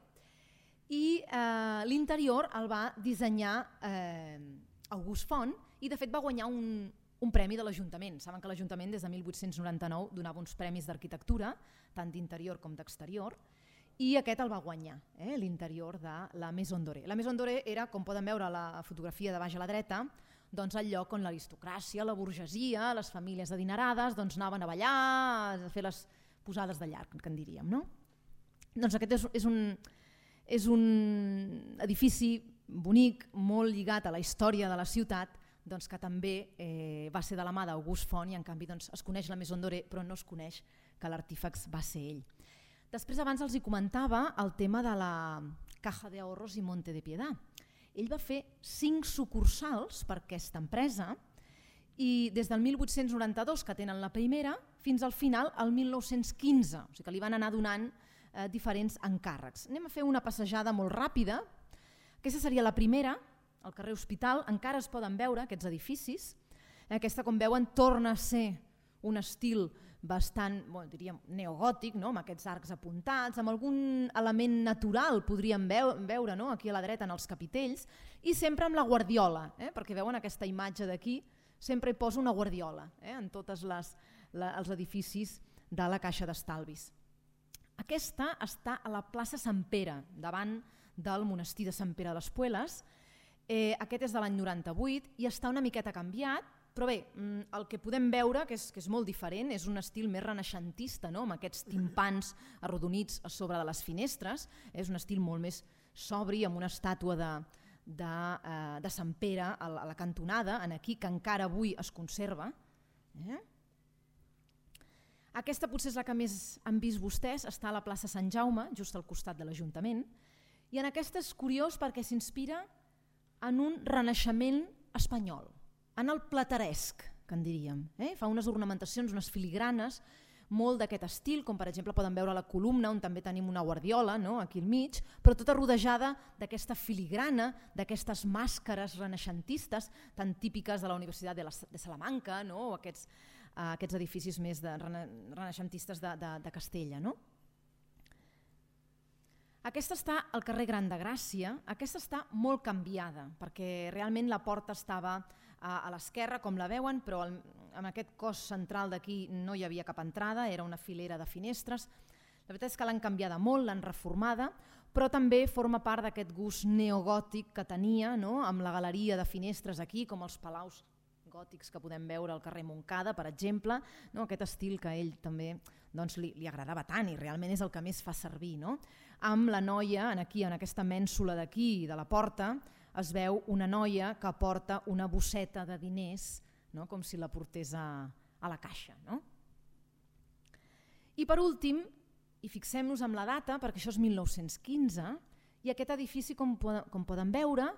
I eh, l'interior el va dissenyar eh, August Font i de fet va guanyar un, un premi de l'Ajuntament. Saben que l'Ajuntament des de mil vuit-cents noranta-nou donava uns premis d'arquitectura, tant d'interior com d'exterior, i aquest el va guanyar, eh, l'interior de la Maison Doré. La Maison Doré era, com poden veure a la fotografia de baix a la dreta, doncs el lloc on l'aristocràcia, la burgesia, les famílies adinerades doncs anaven a ballar, a fer les posades de llarg, que en diríem. No? Doncs aquest és, és, un, és un edifici bonic, molt lligat a la història de la ciutat, doncs que també eh, va ser de la mà d'August Font i en canvi doncs, es coneix la Maison Doré però no es coneix que l'artífex va ser ell. Després abans els hi comentava el tema de la Caja de Ahorros i Monte de Piedad. Ell va fer cinc sucursals per aquesta empresa i des del mil vuit-cents noranta-dos, que tenen la primera, fins al final, al mil nou-cents quinze, o sigui que li van anar donant eh, diferents encàrrecs. Anem a fer una passejada molt ràpida. Aquesta seria la primera, al carrer Hospital, encara es poden veure aquests edificis. Aquesta, com veuen, torna a ser un estil bastant, bueno, diríem, neogòtic, no? Amb aquests arcs apuntats, amb algun element natural podríem veure, no? Aquí a la dreta en els capitells, i sempre amb la guardiola, eh? Perquè veuen aquesta imatge d'aquí, sempre hi posa una guardiola eh? En tots els edificis de la Caixa d'Estalvis. Aquesta està a la plaça Sant Pere, davant del monestir de Sant Pere de les Pueles. Eh, aquest és de l'any noranta-vuit i està una miqueta canviat, però bé, el que podem veure, que és, que és molt diferent, és un estil més renaixentista, no? Amb aquests timpans arrodonits a sobre de les finestres, és un estil molt més sobri, amb una estàtua de, de, eh, de Sant Pere a la, a la cantonada, en aquí, que encara avui es conserva. Eh? Aquesta potser és la que més han vist vostès, està a la plaça Sant Jaume, just al costat de l'Ajuntament, i en aquesta és curiós perquè s'inspira en un renaixement espanyol, en el plateresc, que en diríem. Eh? Fa unes ornamentacions, unes filigranes, molt d'aquest estil, com per exemple poden veure la columna on també tenim una guardiola, no? Aquí al mig, però tota rodejada d'aquesta filigrana, d'aquestes màscares renaixentistes tan típiques de la Universitat de, la, de Salamanca, no? O aquests, uh, aquests edificis més de, rena, renaixentistes de, de, de Castella. No? Aquesta està al carrer Gran de Gràcia, aquesta està molt canviada, perquè realment la porta estava a, a l'esquerra, com la veuen, però el, en aquest cos central d'aquí no hi havia cap entrada, era una filera de finestres. La veritat és que l'han canviada molt, l'han reformada, però també forma part d'aquest gust neogòtic que tenia, no? Amb la galeria de finestres aquí, com els palaus gòtics que podem veure al carrer Montcada, per exemple, no? Aquest estil que a ell també doncs, li, li agradava tant i realment és el que més fa servir. No? Amb la noia, aquí, en aquesta mènsula d'aquí, de la porta, es veu una noia que porta una bosseta de diners, no? Com si la portés a, a la caixa. No? I per últim, i fixem-nos en la data, perquè això és mil nou-cents quinze, i aquest edifici, com, com poden veure,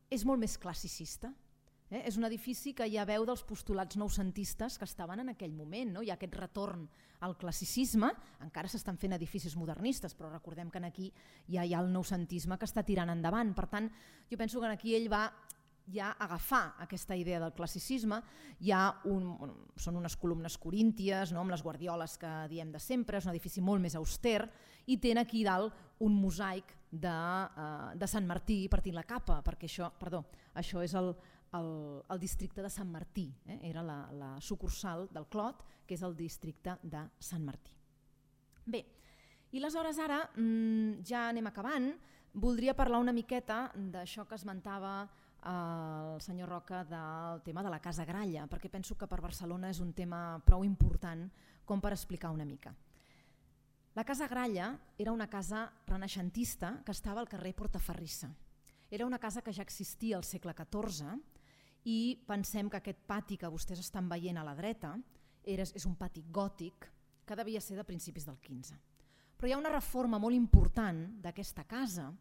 és molt més classicista. Eh? És un edifici que ja veu dels postulats noucentistes que estaven en aquell moment. No? Hi ha aquest retorn al classicisme, encara s'estan fent edificis modernistes, però recordem que aquí ja hi ha el noucentisme que està tirant endavant. Per tant, jo penso que aquí ell va ja agafar aquesta idea del classicisme. Hi ha un, són unes columnes corínties, no? Amb les guardioles que diem de sempre, és un edifici molt més auster, i té aquí dalt un mosaic de, uh, de Sant Martí partint la capa, perquè això, perdó, això és el, el, el districte de Sant Martí, eh? Era la, la sucursal del Clot, que és el districte de Sant Martí. Bé, i aleshores ara mmm, ja anem acabant. Voldria parlar una miqueta d'això que esmentava el senyor Roca del tema de la Casa Gralla, perquè penso que per Barcelona és un tema prou important com per explicar una mica. La Casa Gralla era una casa renaixentista que estava al carrer Portaferrissa. Era una casa que ja existia al segle catorze i pensem que aquest pati que vostès estan veient a la dreta era, és un pati gòtic que devia ser de principis del quinze. Però hi ha una reforma molt important d'aquesta casa.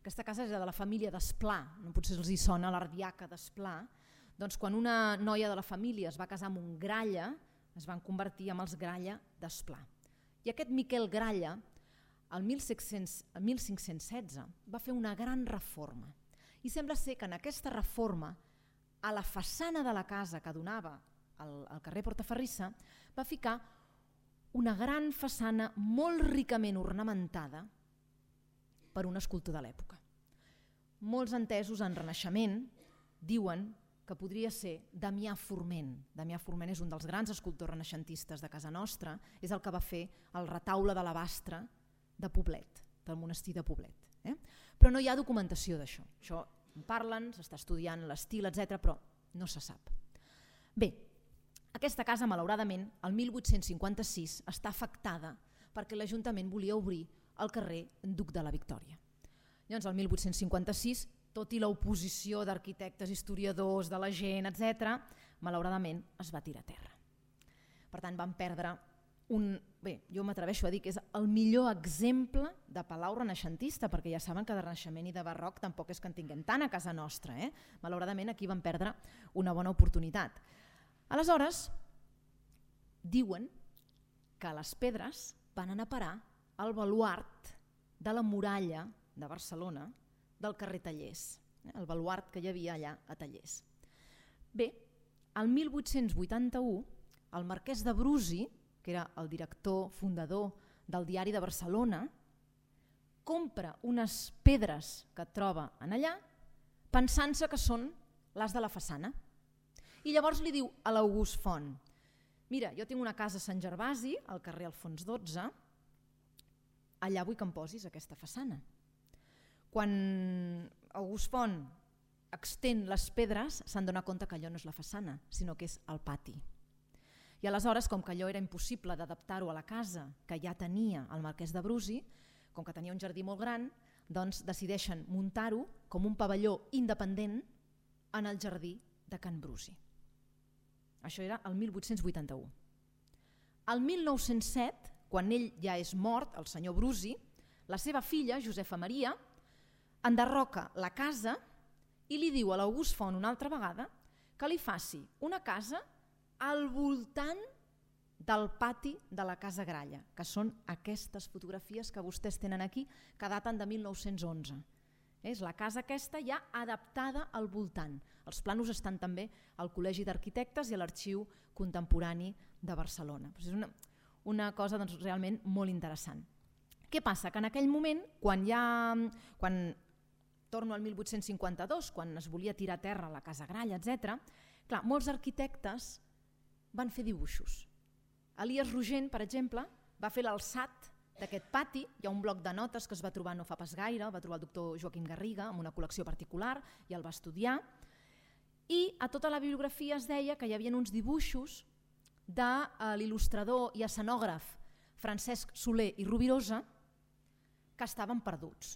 Aquesta casa és de la família d'Esplà, no potser els hi sona l'ardiaca d'Esplà. Doncs quan una noia de la família es va casar amb un Gralla, es van convertir en els Gralla d'Esplà. I aquest Miquel Gralla, el mil cinc-cents setze, va fer una gran reforma. I sembla ser que en aquesta reforma, a la façana de la casa que donava al, al carrer Portaferrissa, va ficar una gran façana molt ricament ornamentada per un escultor de l'època. Molts entesos en Renaixement diuen que podria ser Damià Forment. Damià Forment és un dels grans escultors renaixentistes de casa nostra, és el que va fer el retaule de l'Abastre de Poblet, del monestir de Poblet. Eh? Però no hi ha documentació d'això. Això en parlen, s'està estudiant l'estil, etcètera, però no se sap. Bé, aquesta casa, malauradament, el mil vuit-cents cinquanta-sis està afectada perquè l'Ajuntament volia obrir al carrer Duc de la Victòria. Llavors, el mil vuit-cents cinquanta-sis, tot i l'oposició d'arquitectes, historiadors, de la gent, etcètera, malauradament es va tirar a terra. Per tant, van perdre un... Bé, jo m'atreveixo a dir que és el millor exemple de palau renaixentista, perquè ja saben que de Renaixement i de Barroc tampoc és que en tinguem tant a casa nostra. Eh? Malauradament, aquí van perdre una bona oportunitat. Aleshores, diuen que les pedres van anar a parar al baluart de la muralla de Barcelona del carrer Tallers, el baluart que hi havia allà a Tallers. Bé, el mil vuit-cents vuitanta-u, el marquès de Brusi, que era el director fundador del Diari de Barcelona, compra unes pedres que troba en allà pensant-se que són les de la façana. I llavors li diu a l'August Font: mira, jo tinc una casa a Sant Gervasi, al carrer Alfons dotze, allà vull que em posis aquesta façana. Quan August Font extén les pedres, s'han donat compte que allò no és la façana, sinó que és el pati. I aleshores, com que allò era impossible d'adaptar-ho a la casa que ja tenia el marquès de Brusi, com que tenia un jardí molt gran, doncs decideixen muntar-ho com un pavelló independent en el jardí de Can Brusi. Això era el mil vuit-cents vuitanta-u. El mil nou-cents set, quan ell ja és mort, el senyor Brusi, la seva filla, Josefa Maria, enderroca la casa i li diu a l'August Font una altra vegada que li faci una casa al voltant del pati de la Casa Gralla, que són aquestes fotografies que vostès tenen aquí, que daten de mil nou-cents onze. És la casa aquesta ja adaptada al voltant. Els planos estan també al Col·legi d'Arquitectes i a l'Arxiu Contemporani de Barcelona. És una, una cosa doncs, realment molt interessant. Què passa? Que en aquell moment, quan ja, quan torno al mil vuit-cents cinquanta-dos, quan es volia tirar a terra la Casa Gralla, etcètera, clar, molts arquitectes van fer dibuixos. Elies Rogent, per exemple, va fer l'alçat d'aquest pati. Hi ha un bloc de notes que es va trobar no fa pas gaire, el va trobar el doctor Joaquim Garriga amb una col·lecció particular i el va estudiar. I a tota la bibliografia es deia que hi havia uns dibuixos de l'il·lustrador i escenògraf Francesc Soler i Rovirosa que estaven perduts.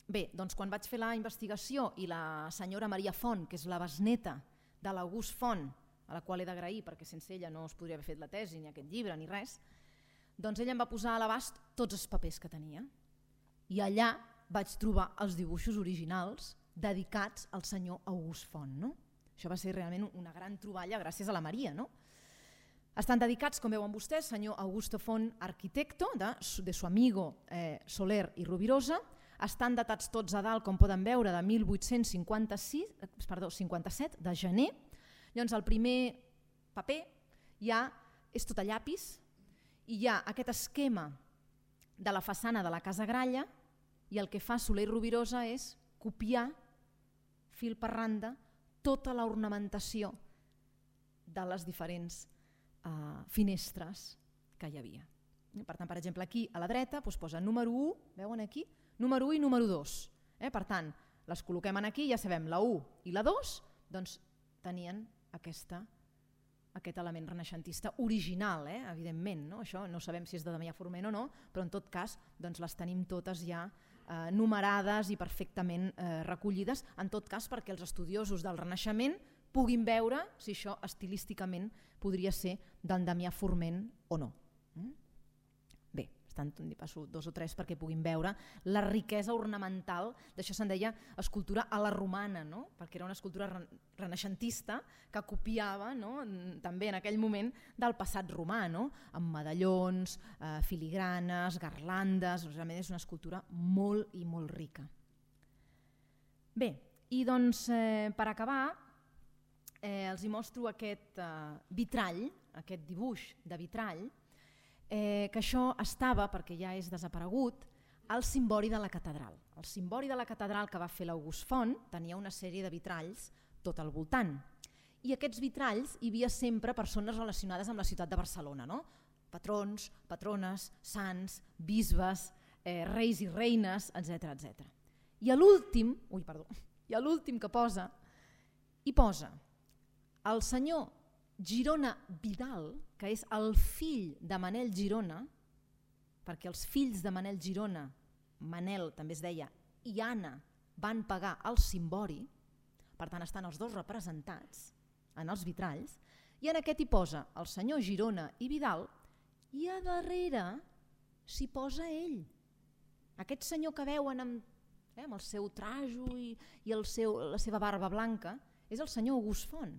Bé, doncs quan vaig fer la investigació i la senyora Maria Font, que és la besneta de l'August Font, a la qual he d'agrair perquè sense ella no es podria haver fet la tesi, ni aquest llibre, ni res, doncs ella em va posar a l'abast tots els papers que tenia. I allà vaig trobar els dibuixos originals dedicats al senyor August Font. No? Això va ser realment una gran troballa gràcies a la Maria, no? Estan dedicats, com veuen vostès, senyor Augusto Font, arquitecto, de, de su amigo eh, Soler i Rovirosa. Estan datats tots a dalt, com poden veure, de mil vuit-cents cinquanta-sis, perdó, cinquanta-set, de gener. Llavors, el primer paper ja és tot a llapis i hi ha aquest esquema de la façana de la Casa Gralla i el que fa Soler i Rovirosa és copiar fil per randa tota l'ornamentació de les diferents uh, finestres que hi havia. Per tant, per exemple, aquí a la dreta doncs posa número u, veuen aquí? Número u i número dos. Eh? Per tant, les col·loquem aquí, ja sabem, la u i la dos, doncs tenien aquesta, aquest element renaixentista original, eh? Evidentment. No? Això no sabem si és de Damià Forment o no, però en tot cas doncs les tenim totes ja eh, numerades i perfectament eh, recollides, en tot cas perquè els estudiosos del Renaixement puguin veure si això estilísticament podria ser d'en Damià Forment o no. Mm? Bé, estan, passo dos o tres perquè puguin veure la riquesa ornamental, d'això se'n deia escultura a la romana, no? Perquè era una escultura renaixentista que copiava, no? També en aquell moment del passat romà, no? Amb medallons, eh, filigranes, garlandes, realment és una escultura molt i molt rica. Bé, i doncs eh, per acabar eh, els hi mostro aquest eh, vitrall, aquest dibuix de vitrall, Eh, que això estava, perquè ja és desaparegut, al cimbori de la catedral. El cimbori de la catedral que va fer l'August Font tenia una sèrie de vitralls tot al voltant. I aquests vitralls hi havia sempre persones relacionades amb la ciutat de Barcelona, no? Patrons, patrones, sants, bisbes, eh, reis i reines, etcètera etcètera. I a l'últim, ui, perdó, i a l'últim que posa, hi posa el senyor Girona Vidal, que és el fill de Manel Girona, perquè els fills de Manel Girona, Manel també es deia, i Anna van pagar el cimbori, per tant estan els dos representats en els vitralls, i en aquest hi posa el senyor Girona i Vidal, i a darrere s'hi posa ell. Aquest senyor que veuen amb, eh, amb el seu trajo i, i el seu, la seva barba blanca, és el senyor August Font.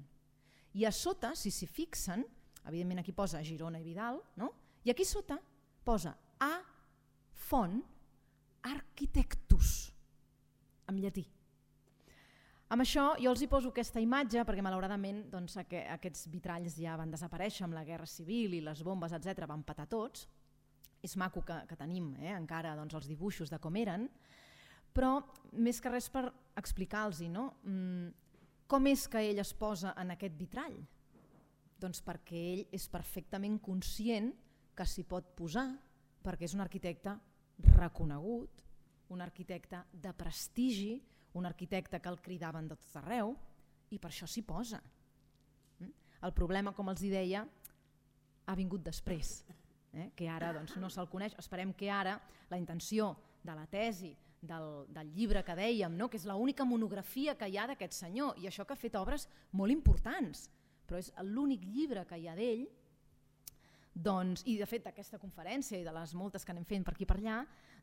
I a sota, si s'hi fixen, evidentment aquí posa Girona i Vidal, no? I aquí sota posa A Font Architectus, en llatí. Amb això jo els hi poso aquesta imatge perquè malauradament doncs, aquests vitralls ja van desaparèixer amb la Guerra Civil i les bombes, etcètera, van petar tots. És maco que, que tenim eh, encara doncs, els dibuixos de com eren, però més que res per explicar-los, no? Mm, com és que ell es posa en aquest vitrall? Doncs perquè ell és perfectament conscient que s'hi pot posar perquè és un arquitecte reconegut, un arquitecte de prestigi, un arquitecte que el cridaven de tot arreu i per això s'hi posa. El problema, com els deia, ha vingut després, eh? Que ara doncs, no se'l coneix. Esperem que ara la intenció de la tesi Del, del llibre que dèiem, no? Que és l'única monografia que hi ha d'aquest senyor i això que ha fet obres molt importants, però és l'únic llibre que hi ha d'ell, doncs, i de fet d'aquesta conferència i de les moltes que anem fent per aquí per allà,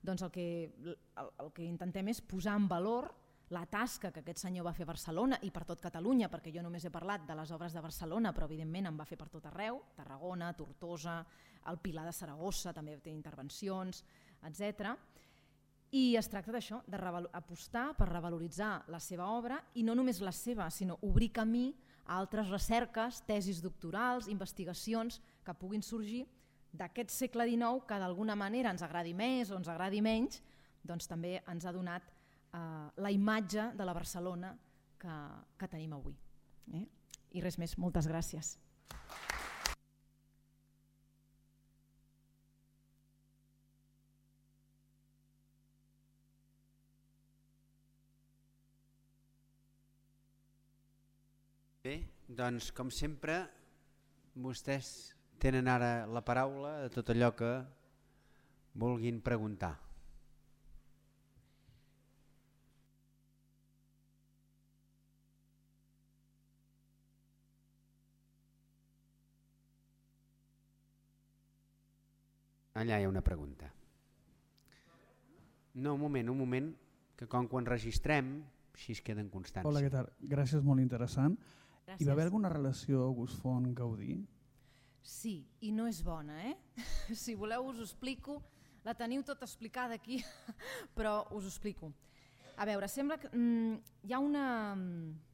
doncs el que, el, el que intentem és posar en valor la tasca que aquest senyor va fer a Barcelona i per tot Catalunya, perquè jo només he parlat de les obres de Barcelona, però evidentment en va fer per tot arreu, Tarragona, Tortosa, el Pilar de Saragossa també té intervencions, etcètera. I es tracta d'això, d'apostar per revaloritzar la seva obra i no només la seva, sinó obrir camí a altres recerques, tesis doctorals, investigacions que puguin sorgir d'aquest segle dinou que d'alguna manera ens agradi més o ens agradi menys, doncs també ens ha donat eh, la imatge de la Barcelona que, que tenim avui. Eh? I res més, moltes gràcies. Bé, doncs com sempre vostès tenen ara la paraula de tot allò que vulguin preguntar. Allà hi ha una pregunta. No, un moment, un moment, que com quan registrem, així es queden constància. Hola, què tal? Gràcies, molt interessant. Gràcies. Hi va haver alguna relació August Font-Gaudí? Sí, i no és bona, eh? Si voleu us ho explico, la teniu tot explicada aquí, però us ho explico. A veure, sembla que mm, hi ha una,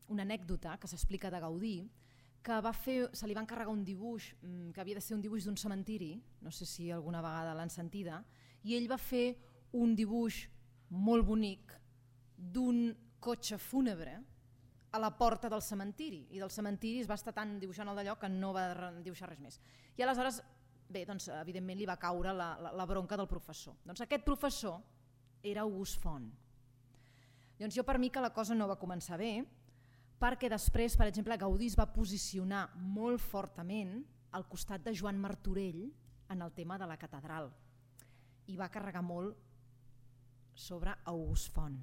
una anècdota que s'explica de Gaudí, que va fer, se li va encarregar un dibuix, mm, que havia de ser un dibuix d'un cementiri, no sé si alguna vegada l'han sentida, i ell va fer un dibuix molt bonic d'un cotxe fúnebre a la porta del cementiri, i del cementiri es va estar tan dibuixant el d'allò que no va dibuixar res més. I aleshores, bé, doncs, evidentment li va caure la, la, la bronca del professor. Doncs aquest professor era August Font. Doncs jo per mi que la cosa no va començar bé, perquè després, per exemple, Gaudí es va posicionar molt fortament al costat de Joan Martorell en el tema de la catedral i va carregar molt sobre August Font.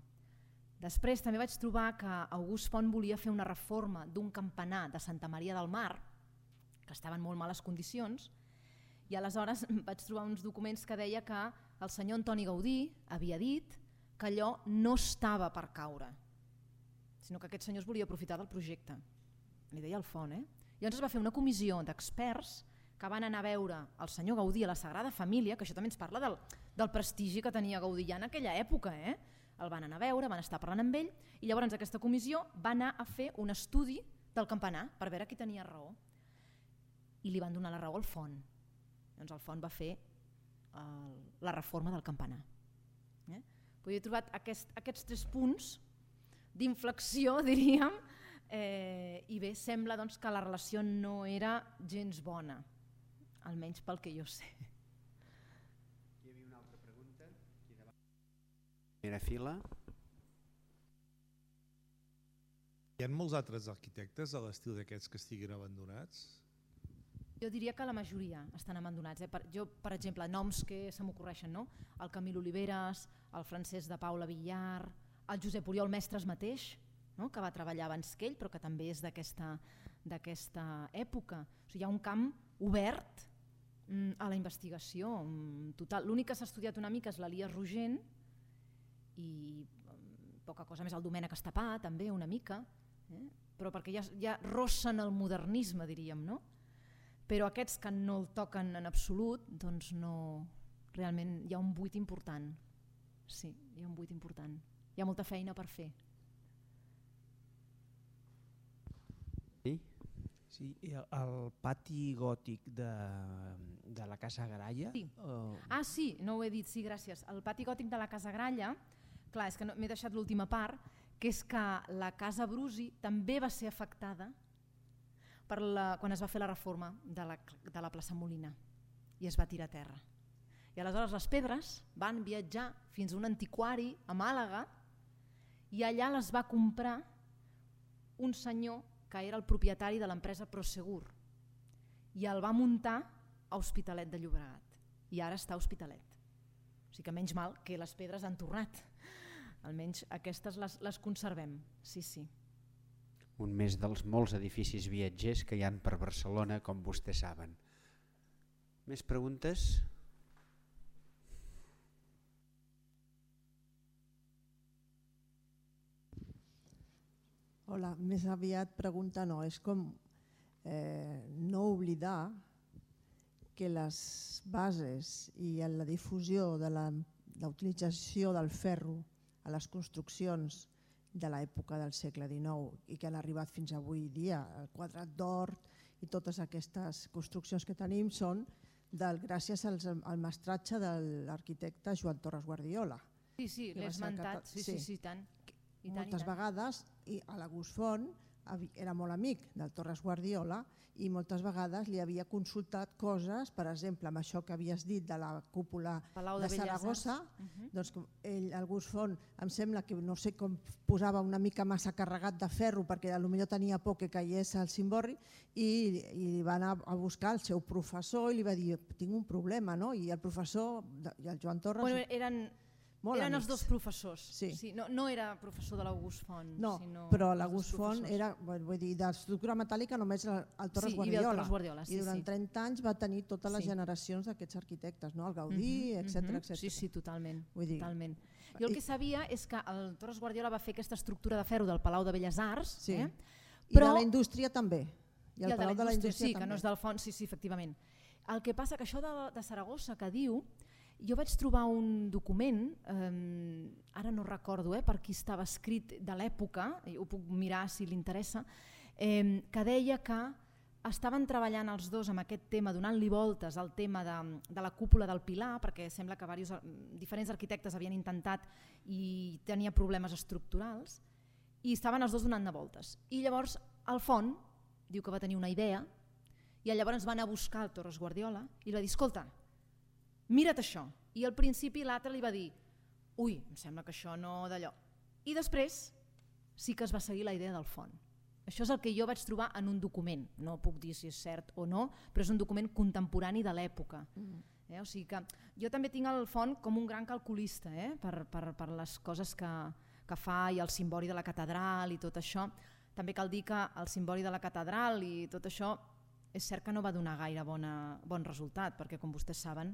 Després també vaig trobar que August Font volia fer una reforma d'un campanar de Santa Maria del Mar, que estava en molt males condicions, i aleshores vaig trobar uns documents que deia que el senyor Antoni Gaudí havia dit que allò no estava per caure, sinó que aquest senyor es volia aprofitar del projecte. Li deia el Font, eh? Llavors es va fer una comissió d'experts que van anar a veure el senyor Gaudí a la Sagrada Família, que això també ens parla del, del prestigi que tenia Gaudí ja en aquella època, eh? El van anar a veure, van estar parlant amb ell, i llavors aquesta comissió va anar a fer un estudi del campanar per veure qui tenia raó. I li van donar la raó al Font. Doncs el Font va fer el, la reforma del campanar. Eh? He trobat aquest, aquests tres punts d'inflexió, diríem, eh, i bé, sembla doncs, que la relació no era gens bona, almenys pel que jo sé. Hi havia una altra pregunta. Aquí davant. Primera fila. Hi ha molts altres arquitectes a l'estil d'aquests que estiguin abandonats? Jo diria que la majoria estan abandonats. Eh? Per, jo, per exemple, noms que se m'ocorreixen, no? El Camil Oliveres, el Francesc de Paula Villar, el Josep Oriol Mestres mateix, no? Que va treballar abans que ell, però que també és d'aquesta d'aquesta època. O sigui, hi ha un camp obert mm, a la investigació. Mm, total. L'únic que s'ha estudiat una mica és l'Elias Rogent i mm, poca cosa més, el Domènec Estapà també una mica, eh? Però perquè ja, ja rossen el modernisme, diríem, no? Però aquests que no el toquen en absolut, doncs no, realment hi ha un buit important. Sí, hi ha un buit important. Hi ha molta feina per fer. Sí? Sí, el pati gòtic de, de la Casa Gralla... Sí. Uh... Ah, sí, no ho he dit, sí, gràcies. El pati gòtic de la Casa Gralla, clar, és que no, m'he deixat l'última part, que és que la Casa Brusi també va ser afectada per la, quan es va fer la reforma de la, de la plaça Molina i es va tirar a terra. I aleshores les pedres van viatjar fins a un antiquari a Màlaga i allà les va comprar un senyor que era el propietari de l'empresa Prosegur i el va muntar a Hospitalet de Llobregat i ara està a Hospitalet. O sigui que menys mal que les pedres han tornat. Almenys aquestes les, les conservem. Sí, sí. Un més dels molts edificis viatgers que hi han per Barcelona, com vostès saben. Més preguntes? Hola, més aviat pregunta no, és com eh, no oblidar que les bases i la difusió de la, la utilització del ferro a les construccions de l'època del segle dinou i que han arribat fins avui dia, el Quadrat d'Or i totes aquestes construccions que tenim són del, gràcies als, al mestratge de l'arquitecte Joan Torres Guardiola. Sí, sí, l'he esmentat, sí, sí, sí, tant. I tant, moltes i tant. vegades, i a l'August Font era molt amic del Torres Guardiola i moltes vegades li havia consultat coses, per exemple, amb això que havies dit de la cúpula Palau de, de Saragossa, uh-huh. doncs ell, August Font, em sembla que no sé com posava una mica massa carregat de ferro perquè potser tenia por que caigués al cimborri i, i va anar a buscar el seu professor i li va dir, tinc un problema, no? I el professor, i el Joan Torres... Bueno, eren... Molt Eren amics. els dos professors, sí. Sí, no, no era professor de l'August Font. No, sinó però l'August Font era, vull dir, d'estructura metàl·lica només el, el Torres sí, Guardiola. El Torres Guardiola sí, I durant sí. trenta anys va tenir totes les sí. generacions d'aquests arquitectes, no? El Gaudí, uh-huh, etcètera, uh-huh. etcètera. Sí, sí, totalment. Vull dir, totalment. Jo el que sabia és que el Torres Guardiola va fer aquesta estructura de ferro del Palau de Belles Arts, sí. eh? I de la indústria també. I el, I el de la indústria, sí, també. Que no és del fons, sí, sí, efectivament. El que passa que això de, de Saragossa que diu, jo vaig trobar un document, eh, ara no recordo eh, per qui estava escrit de l'època, ho puc mirar si li interessa, eh, que deia que estaven treballant els dos amb aquest tema, donant-li voltes al tema de, de la cúpula del Pilar, perquè sembla que diversos, diferents arquitectes havien intentat i tenia problemes estructurals, i estaven els dos donant-ne voltes. I llavors el Font diu que va tenir una idea i llavors van a buscar el Torres Guardiola i li va dir, escolta, mira't això. I al principi l'altre li va dir, ui, em sembla que això no d'allò. I després sí que es va seguir la idea del Font. Això és el que jo vaig trobar en un document, no puc dir si és cert o no, però és un document contemporani de l'època. Mm. Eh? O sigui que jo també tinc el Font com un gran calculista eh? per, per, per les coses que, que fa i el cimbori de la catedral i tot això. També cal dir que el cimbori de la catedral i tot això és cert que no va donar gaire bona, bon resultat, perquè com vostès saben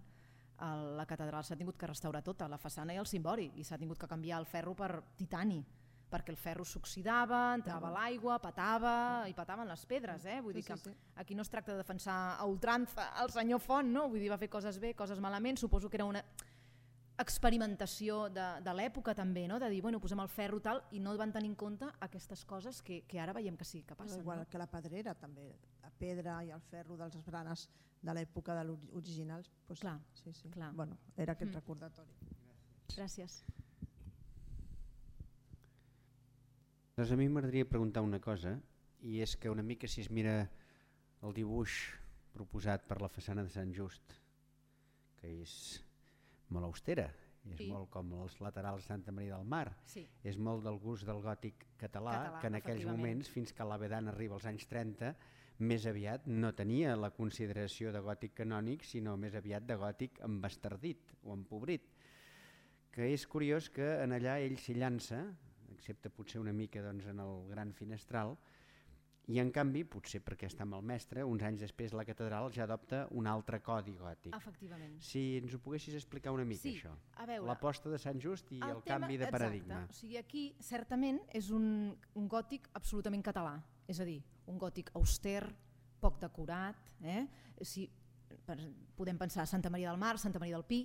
el, la catedral s'ha tingut que restaurar tota, la façana i el cimbori, i s'ha tingut que canviar el ferro per titani, perquè el ferro s'oxidava, entrava a l'aigua, patava i pataven les pedres. Eh? Vull dir que aquí no es tracta de defensar a ultrança el senyor Font, no? Vull dir, va fer coses bé, coses malament, suposo que era una experimentació de, de l'època també, no? De dir, bueno, posem el ferro tal, i no van tenir en compte aquestes coses que, que ara veiem que sí que passen. Igual no? que la pedrera també, la pedra i el ferro dels branes de l'època de l'original, pues, clar, sí, sí. clar. Bueno, era aquest mm. recordatori. Gràcies. Doncs a mi m'agradaria preguntar una cosa, i és que una mica si es mira el dibuix proposat per la façana de Sant Just, que és molt austera, és sí. molt com els laterals de Santa Maria del Mar, sí. és molt del gust del gòtic català, català que en aquells moments, fins que l'Avedan arriba als anys trenta, més aviat no tenia la consideració de gòtic canònic, sinó més aviat de gòtic embastardit o empobrit, que és curiós que en allà ell s'hi llança, excepte potser una mica doncs, en el gran finestral, i en canvi, potser perquè està amb el mestre, uns anys després la catedral ja adopta un altre codi gòtic. Efectivament. Si ens ho poguessis explicar una mica, sí, això. L'aposta de Sant Just i el, el tema, canvi de exacte. paradigma. O sigui, aquí certament és un, un gòtic absolutament català, és a dir, un gòtic auster, poc decorat, eh? Si, per, podem pensar Santa Maria del Mar, Santa Maria del Pi,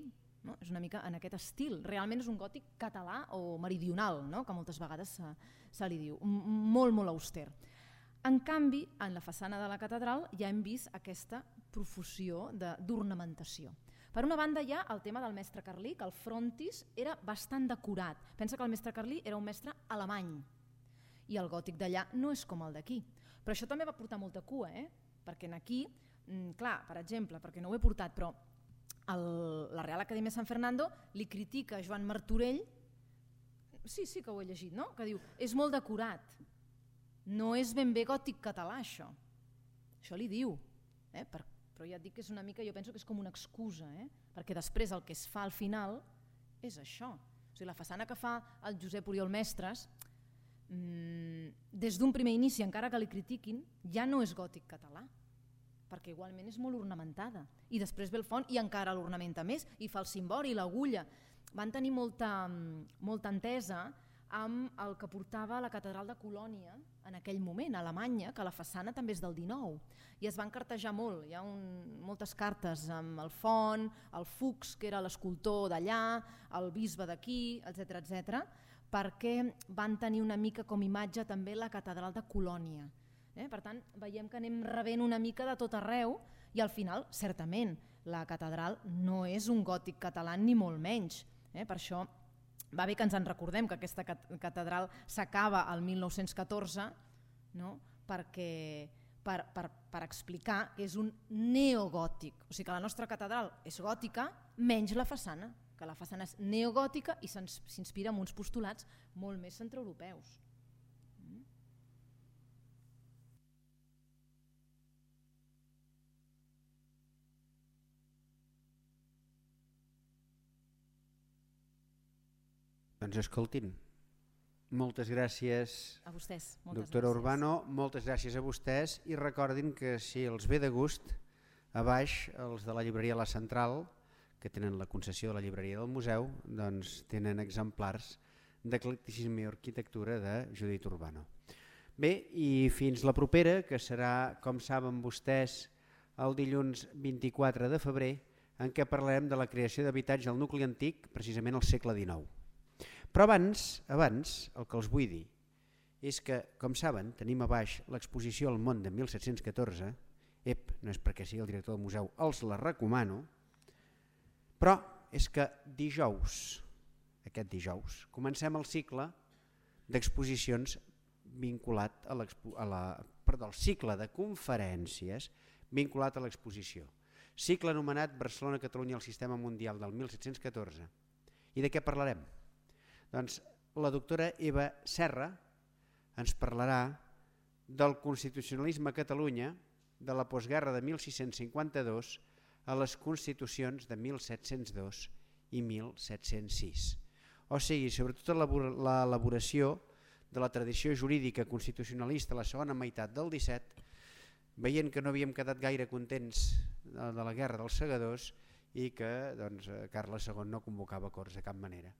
no? És una mica en aquest estil, realment és un gòtic català o meridional, no? Que moltes vegades se, se li diu, molt molt auster. En canvi, en la façana de la catedral ja hem vist aquesta profusió d'ornamentació. Per una banda hi ha el tema del mestre Carlí, que el frontis era bastant decorat. Pensa que el mestre Carlí era un mestre alemany i el gòtic d'allà no és com el d'aquí. Però això també va portar molta cua, eh? Perquè aquí, clar, per exemple, perquè no ho he portat, però el, la Real Acadèmia Sant Fernando li critica a Joan Martorell, sí, sí que ho he llegit, no? Que diu, és molt decorat. No és ben bé gòtic català, això. Això li diu. Eh? Per, però ja et dic que és una mica, jo penso que és com una excusa, eh? Perquè després el que es fa al final és això. O sigui, la façana que fa el Josep Oriol Mestres, mmm, des d'un primer inici, encara que li critiquin, ja no és gòtic català, perquè igualment és molt ornamentada. I després ve el Font i encara l'ornamenta més, i fa el cimbori i l'agulla. Van tenir molta, molta entesa amb el que portava la catedral de Colònia en aquell moment, a Alemanya, que la façana també és del dinou, i es van cartejar molt. Hi ha un, moltes cartes amb el Font, el Fuchs, que era l'escultor d'allà, el bisbe d'aquí, etcètera, etcètera, perquè van tenir una mica com imatge també la catedral de Colònia. Eh? Per tant, veiem que anem rebent una mica de tot arreu, i al final, certament, la catedral no és un gòtic català ni molt menys. Eh? Per això va bé que ens en recordem que aquesta catedral s'acaba al mil nou-cents catorze, no? Perquè, per, per, per explicar que és un neogòtic. O sigui que la nostra catedral és gòtica, menys la façana, que la façana és neogòtica i s'inspira en uns postulats molt més centreeuropeus. Doncs escoltin, moltes gràcies a vostès, moltes doctora gràcies. Urbano, moltes gràcies a vostès, i recordin que si els ve de gust, a baix els de la llibreria La Central, que tenen la concessió de la llibreria del museu, doncs tenen exemplars d'Eclecticisme i Arquitectura de Judit Urbano. Bé, i fins la propera, que serà, com saben vostès, el dilluns vint-i-quatre de febrer, en què parlarem de la creació d'habitatge al nucli antic, precisament al segle dinou. Però abans, abans, el que els vull dir és que, com saben, tenim a baix l'exposició al món de mil set-cents catorze, ep, no és perquè sigui el director del museu, els la recomano, però és que dijous, aquest dijous, comencem el cicle d'exposicions vinculat a a la, perdó, el cicle de conferències vinculat a l'exposició. Cicle anomenat Barcelona-Catalunya al Sistema Mundial del mil set-cents catorze. I de què parlarem? Doncs la doctora Eva Serra ens parlarà del constitucionalisme a Catalunya de la postguerra de mil sis-cents cinquanta-dos a les constitucions de mil set-cents dos i mil set-cents sis. O sigui, sobretot l'elaboració de la tradició jurídica constitucionalista a la segona meitat del disset, veient que no havíem quedat gaire contents de la guerra dels segadors i que doncs, Carles segon no convocava corts de cap manera.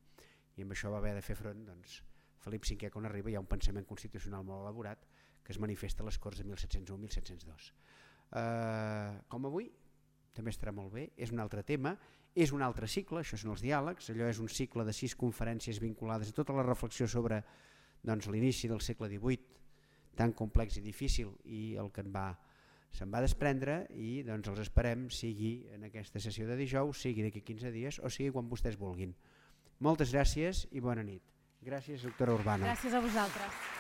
I amb això va haver de fer front doncs, Felip cinquè quan arriba, hi ha un pensament constitucional molt elaborat que es manifesta a les Corts de mil set-cents u a mil set-cents dos. Uh, com avui, també estarà molt bé, és un altre tema, és un altre cicle, això són els diàlegs, allò és un cicle de sis conferències vinculades a tota la reflexió sobre doncs, l'inici del segle divuit, tan complex i difícil, i el que en va, se'n va desprendre, i doncs, els esperem, sigui en aquesta sessió de dijous, sigui d'aquí quinze dies o sigui quan vostès vulguin. Moltes gràcies i bona nit. Gràcies, doctora Urbano. Gràcies a vosaltres.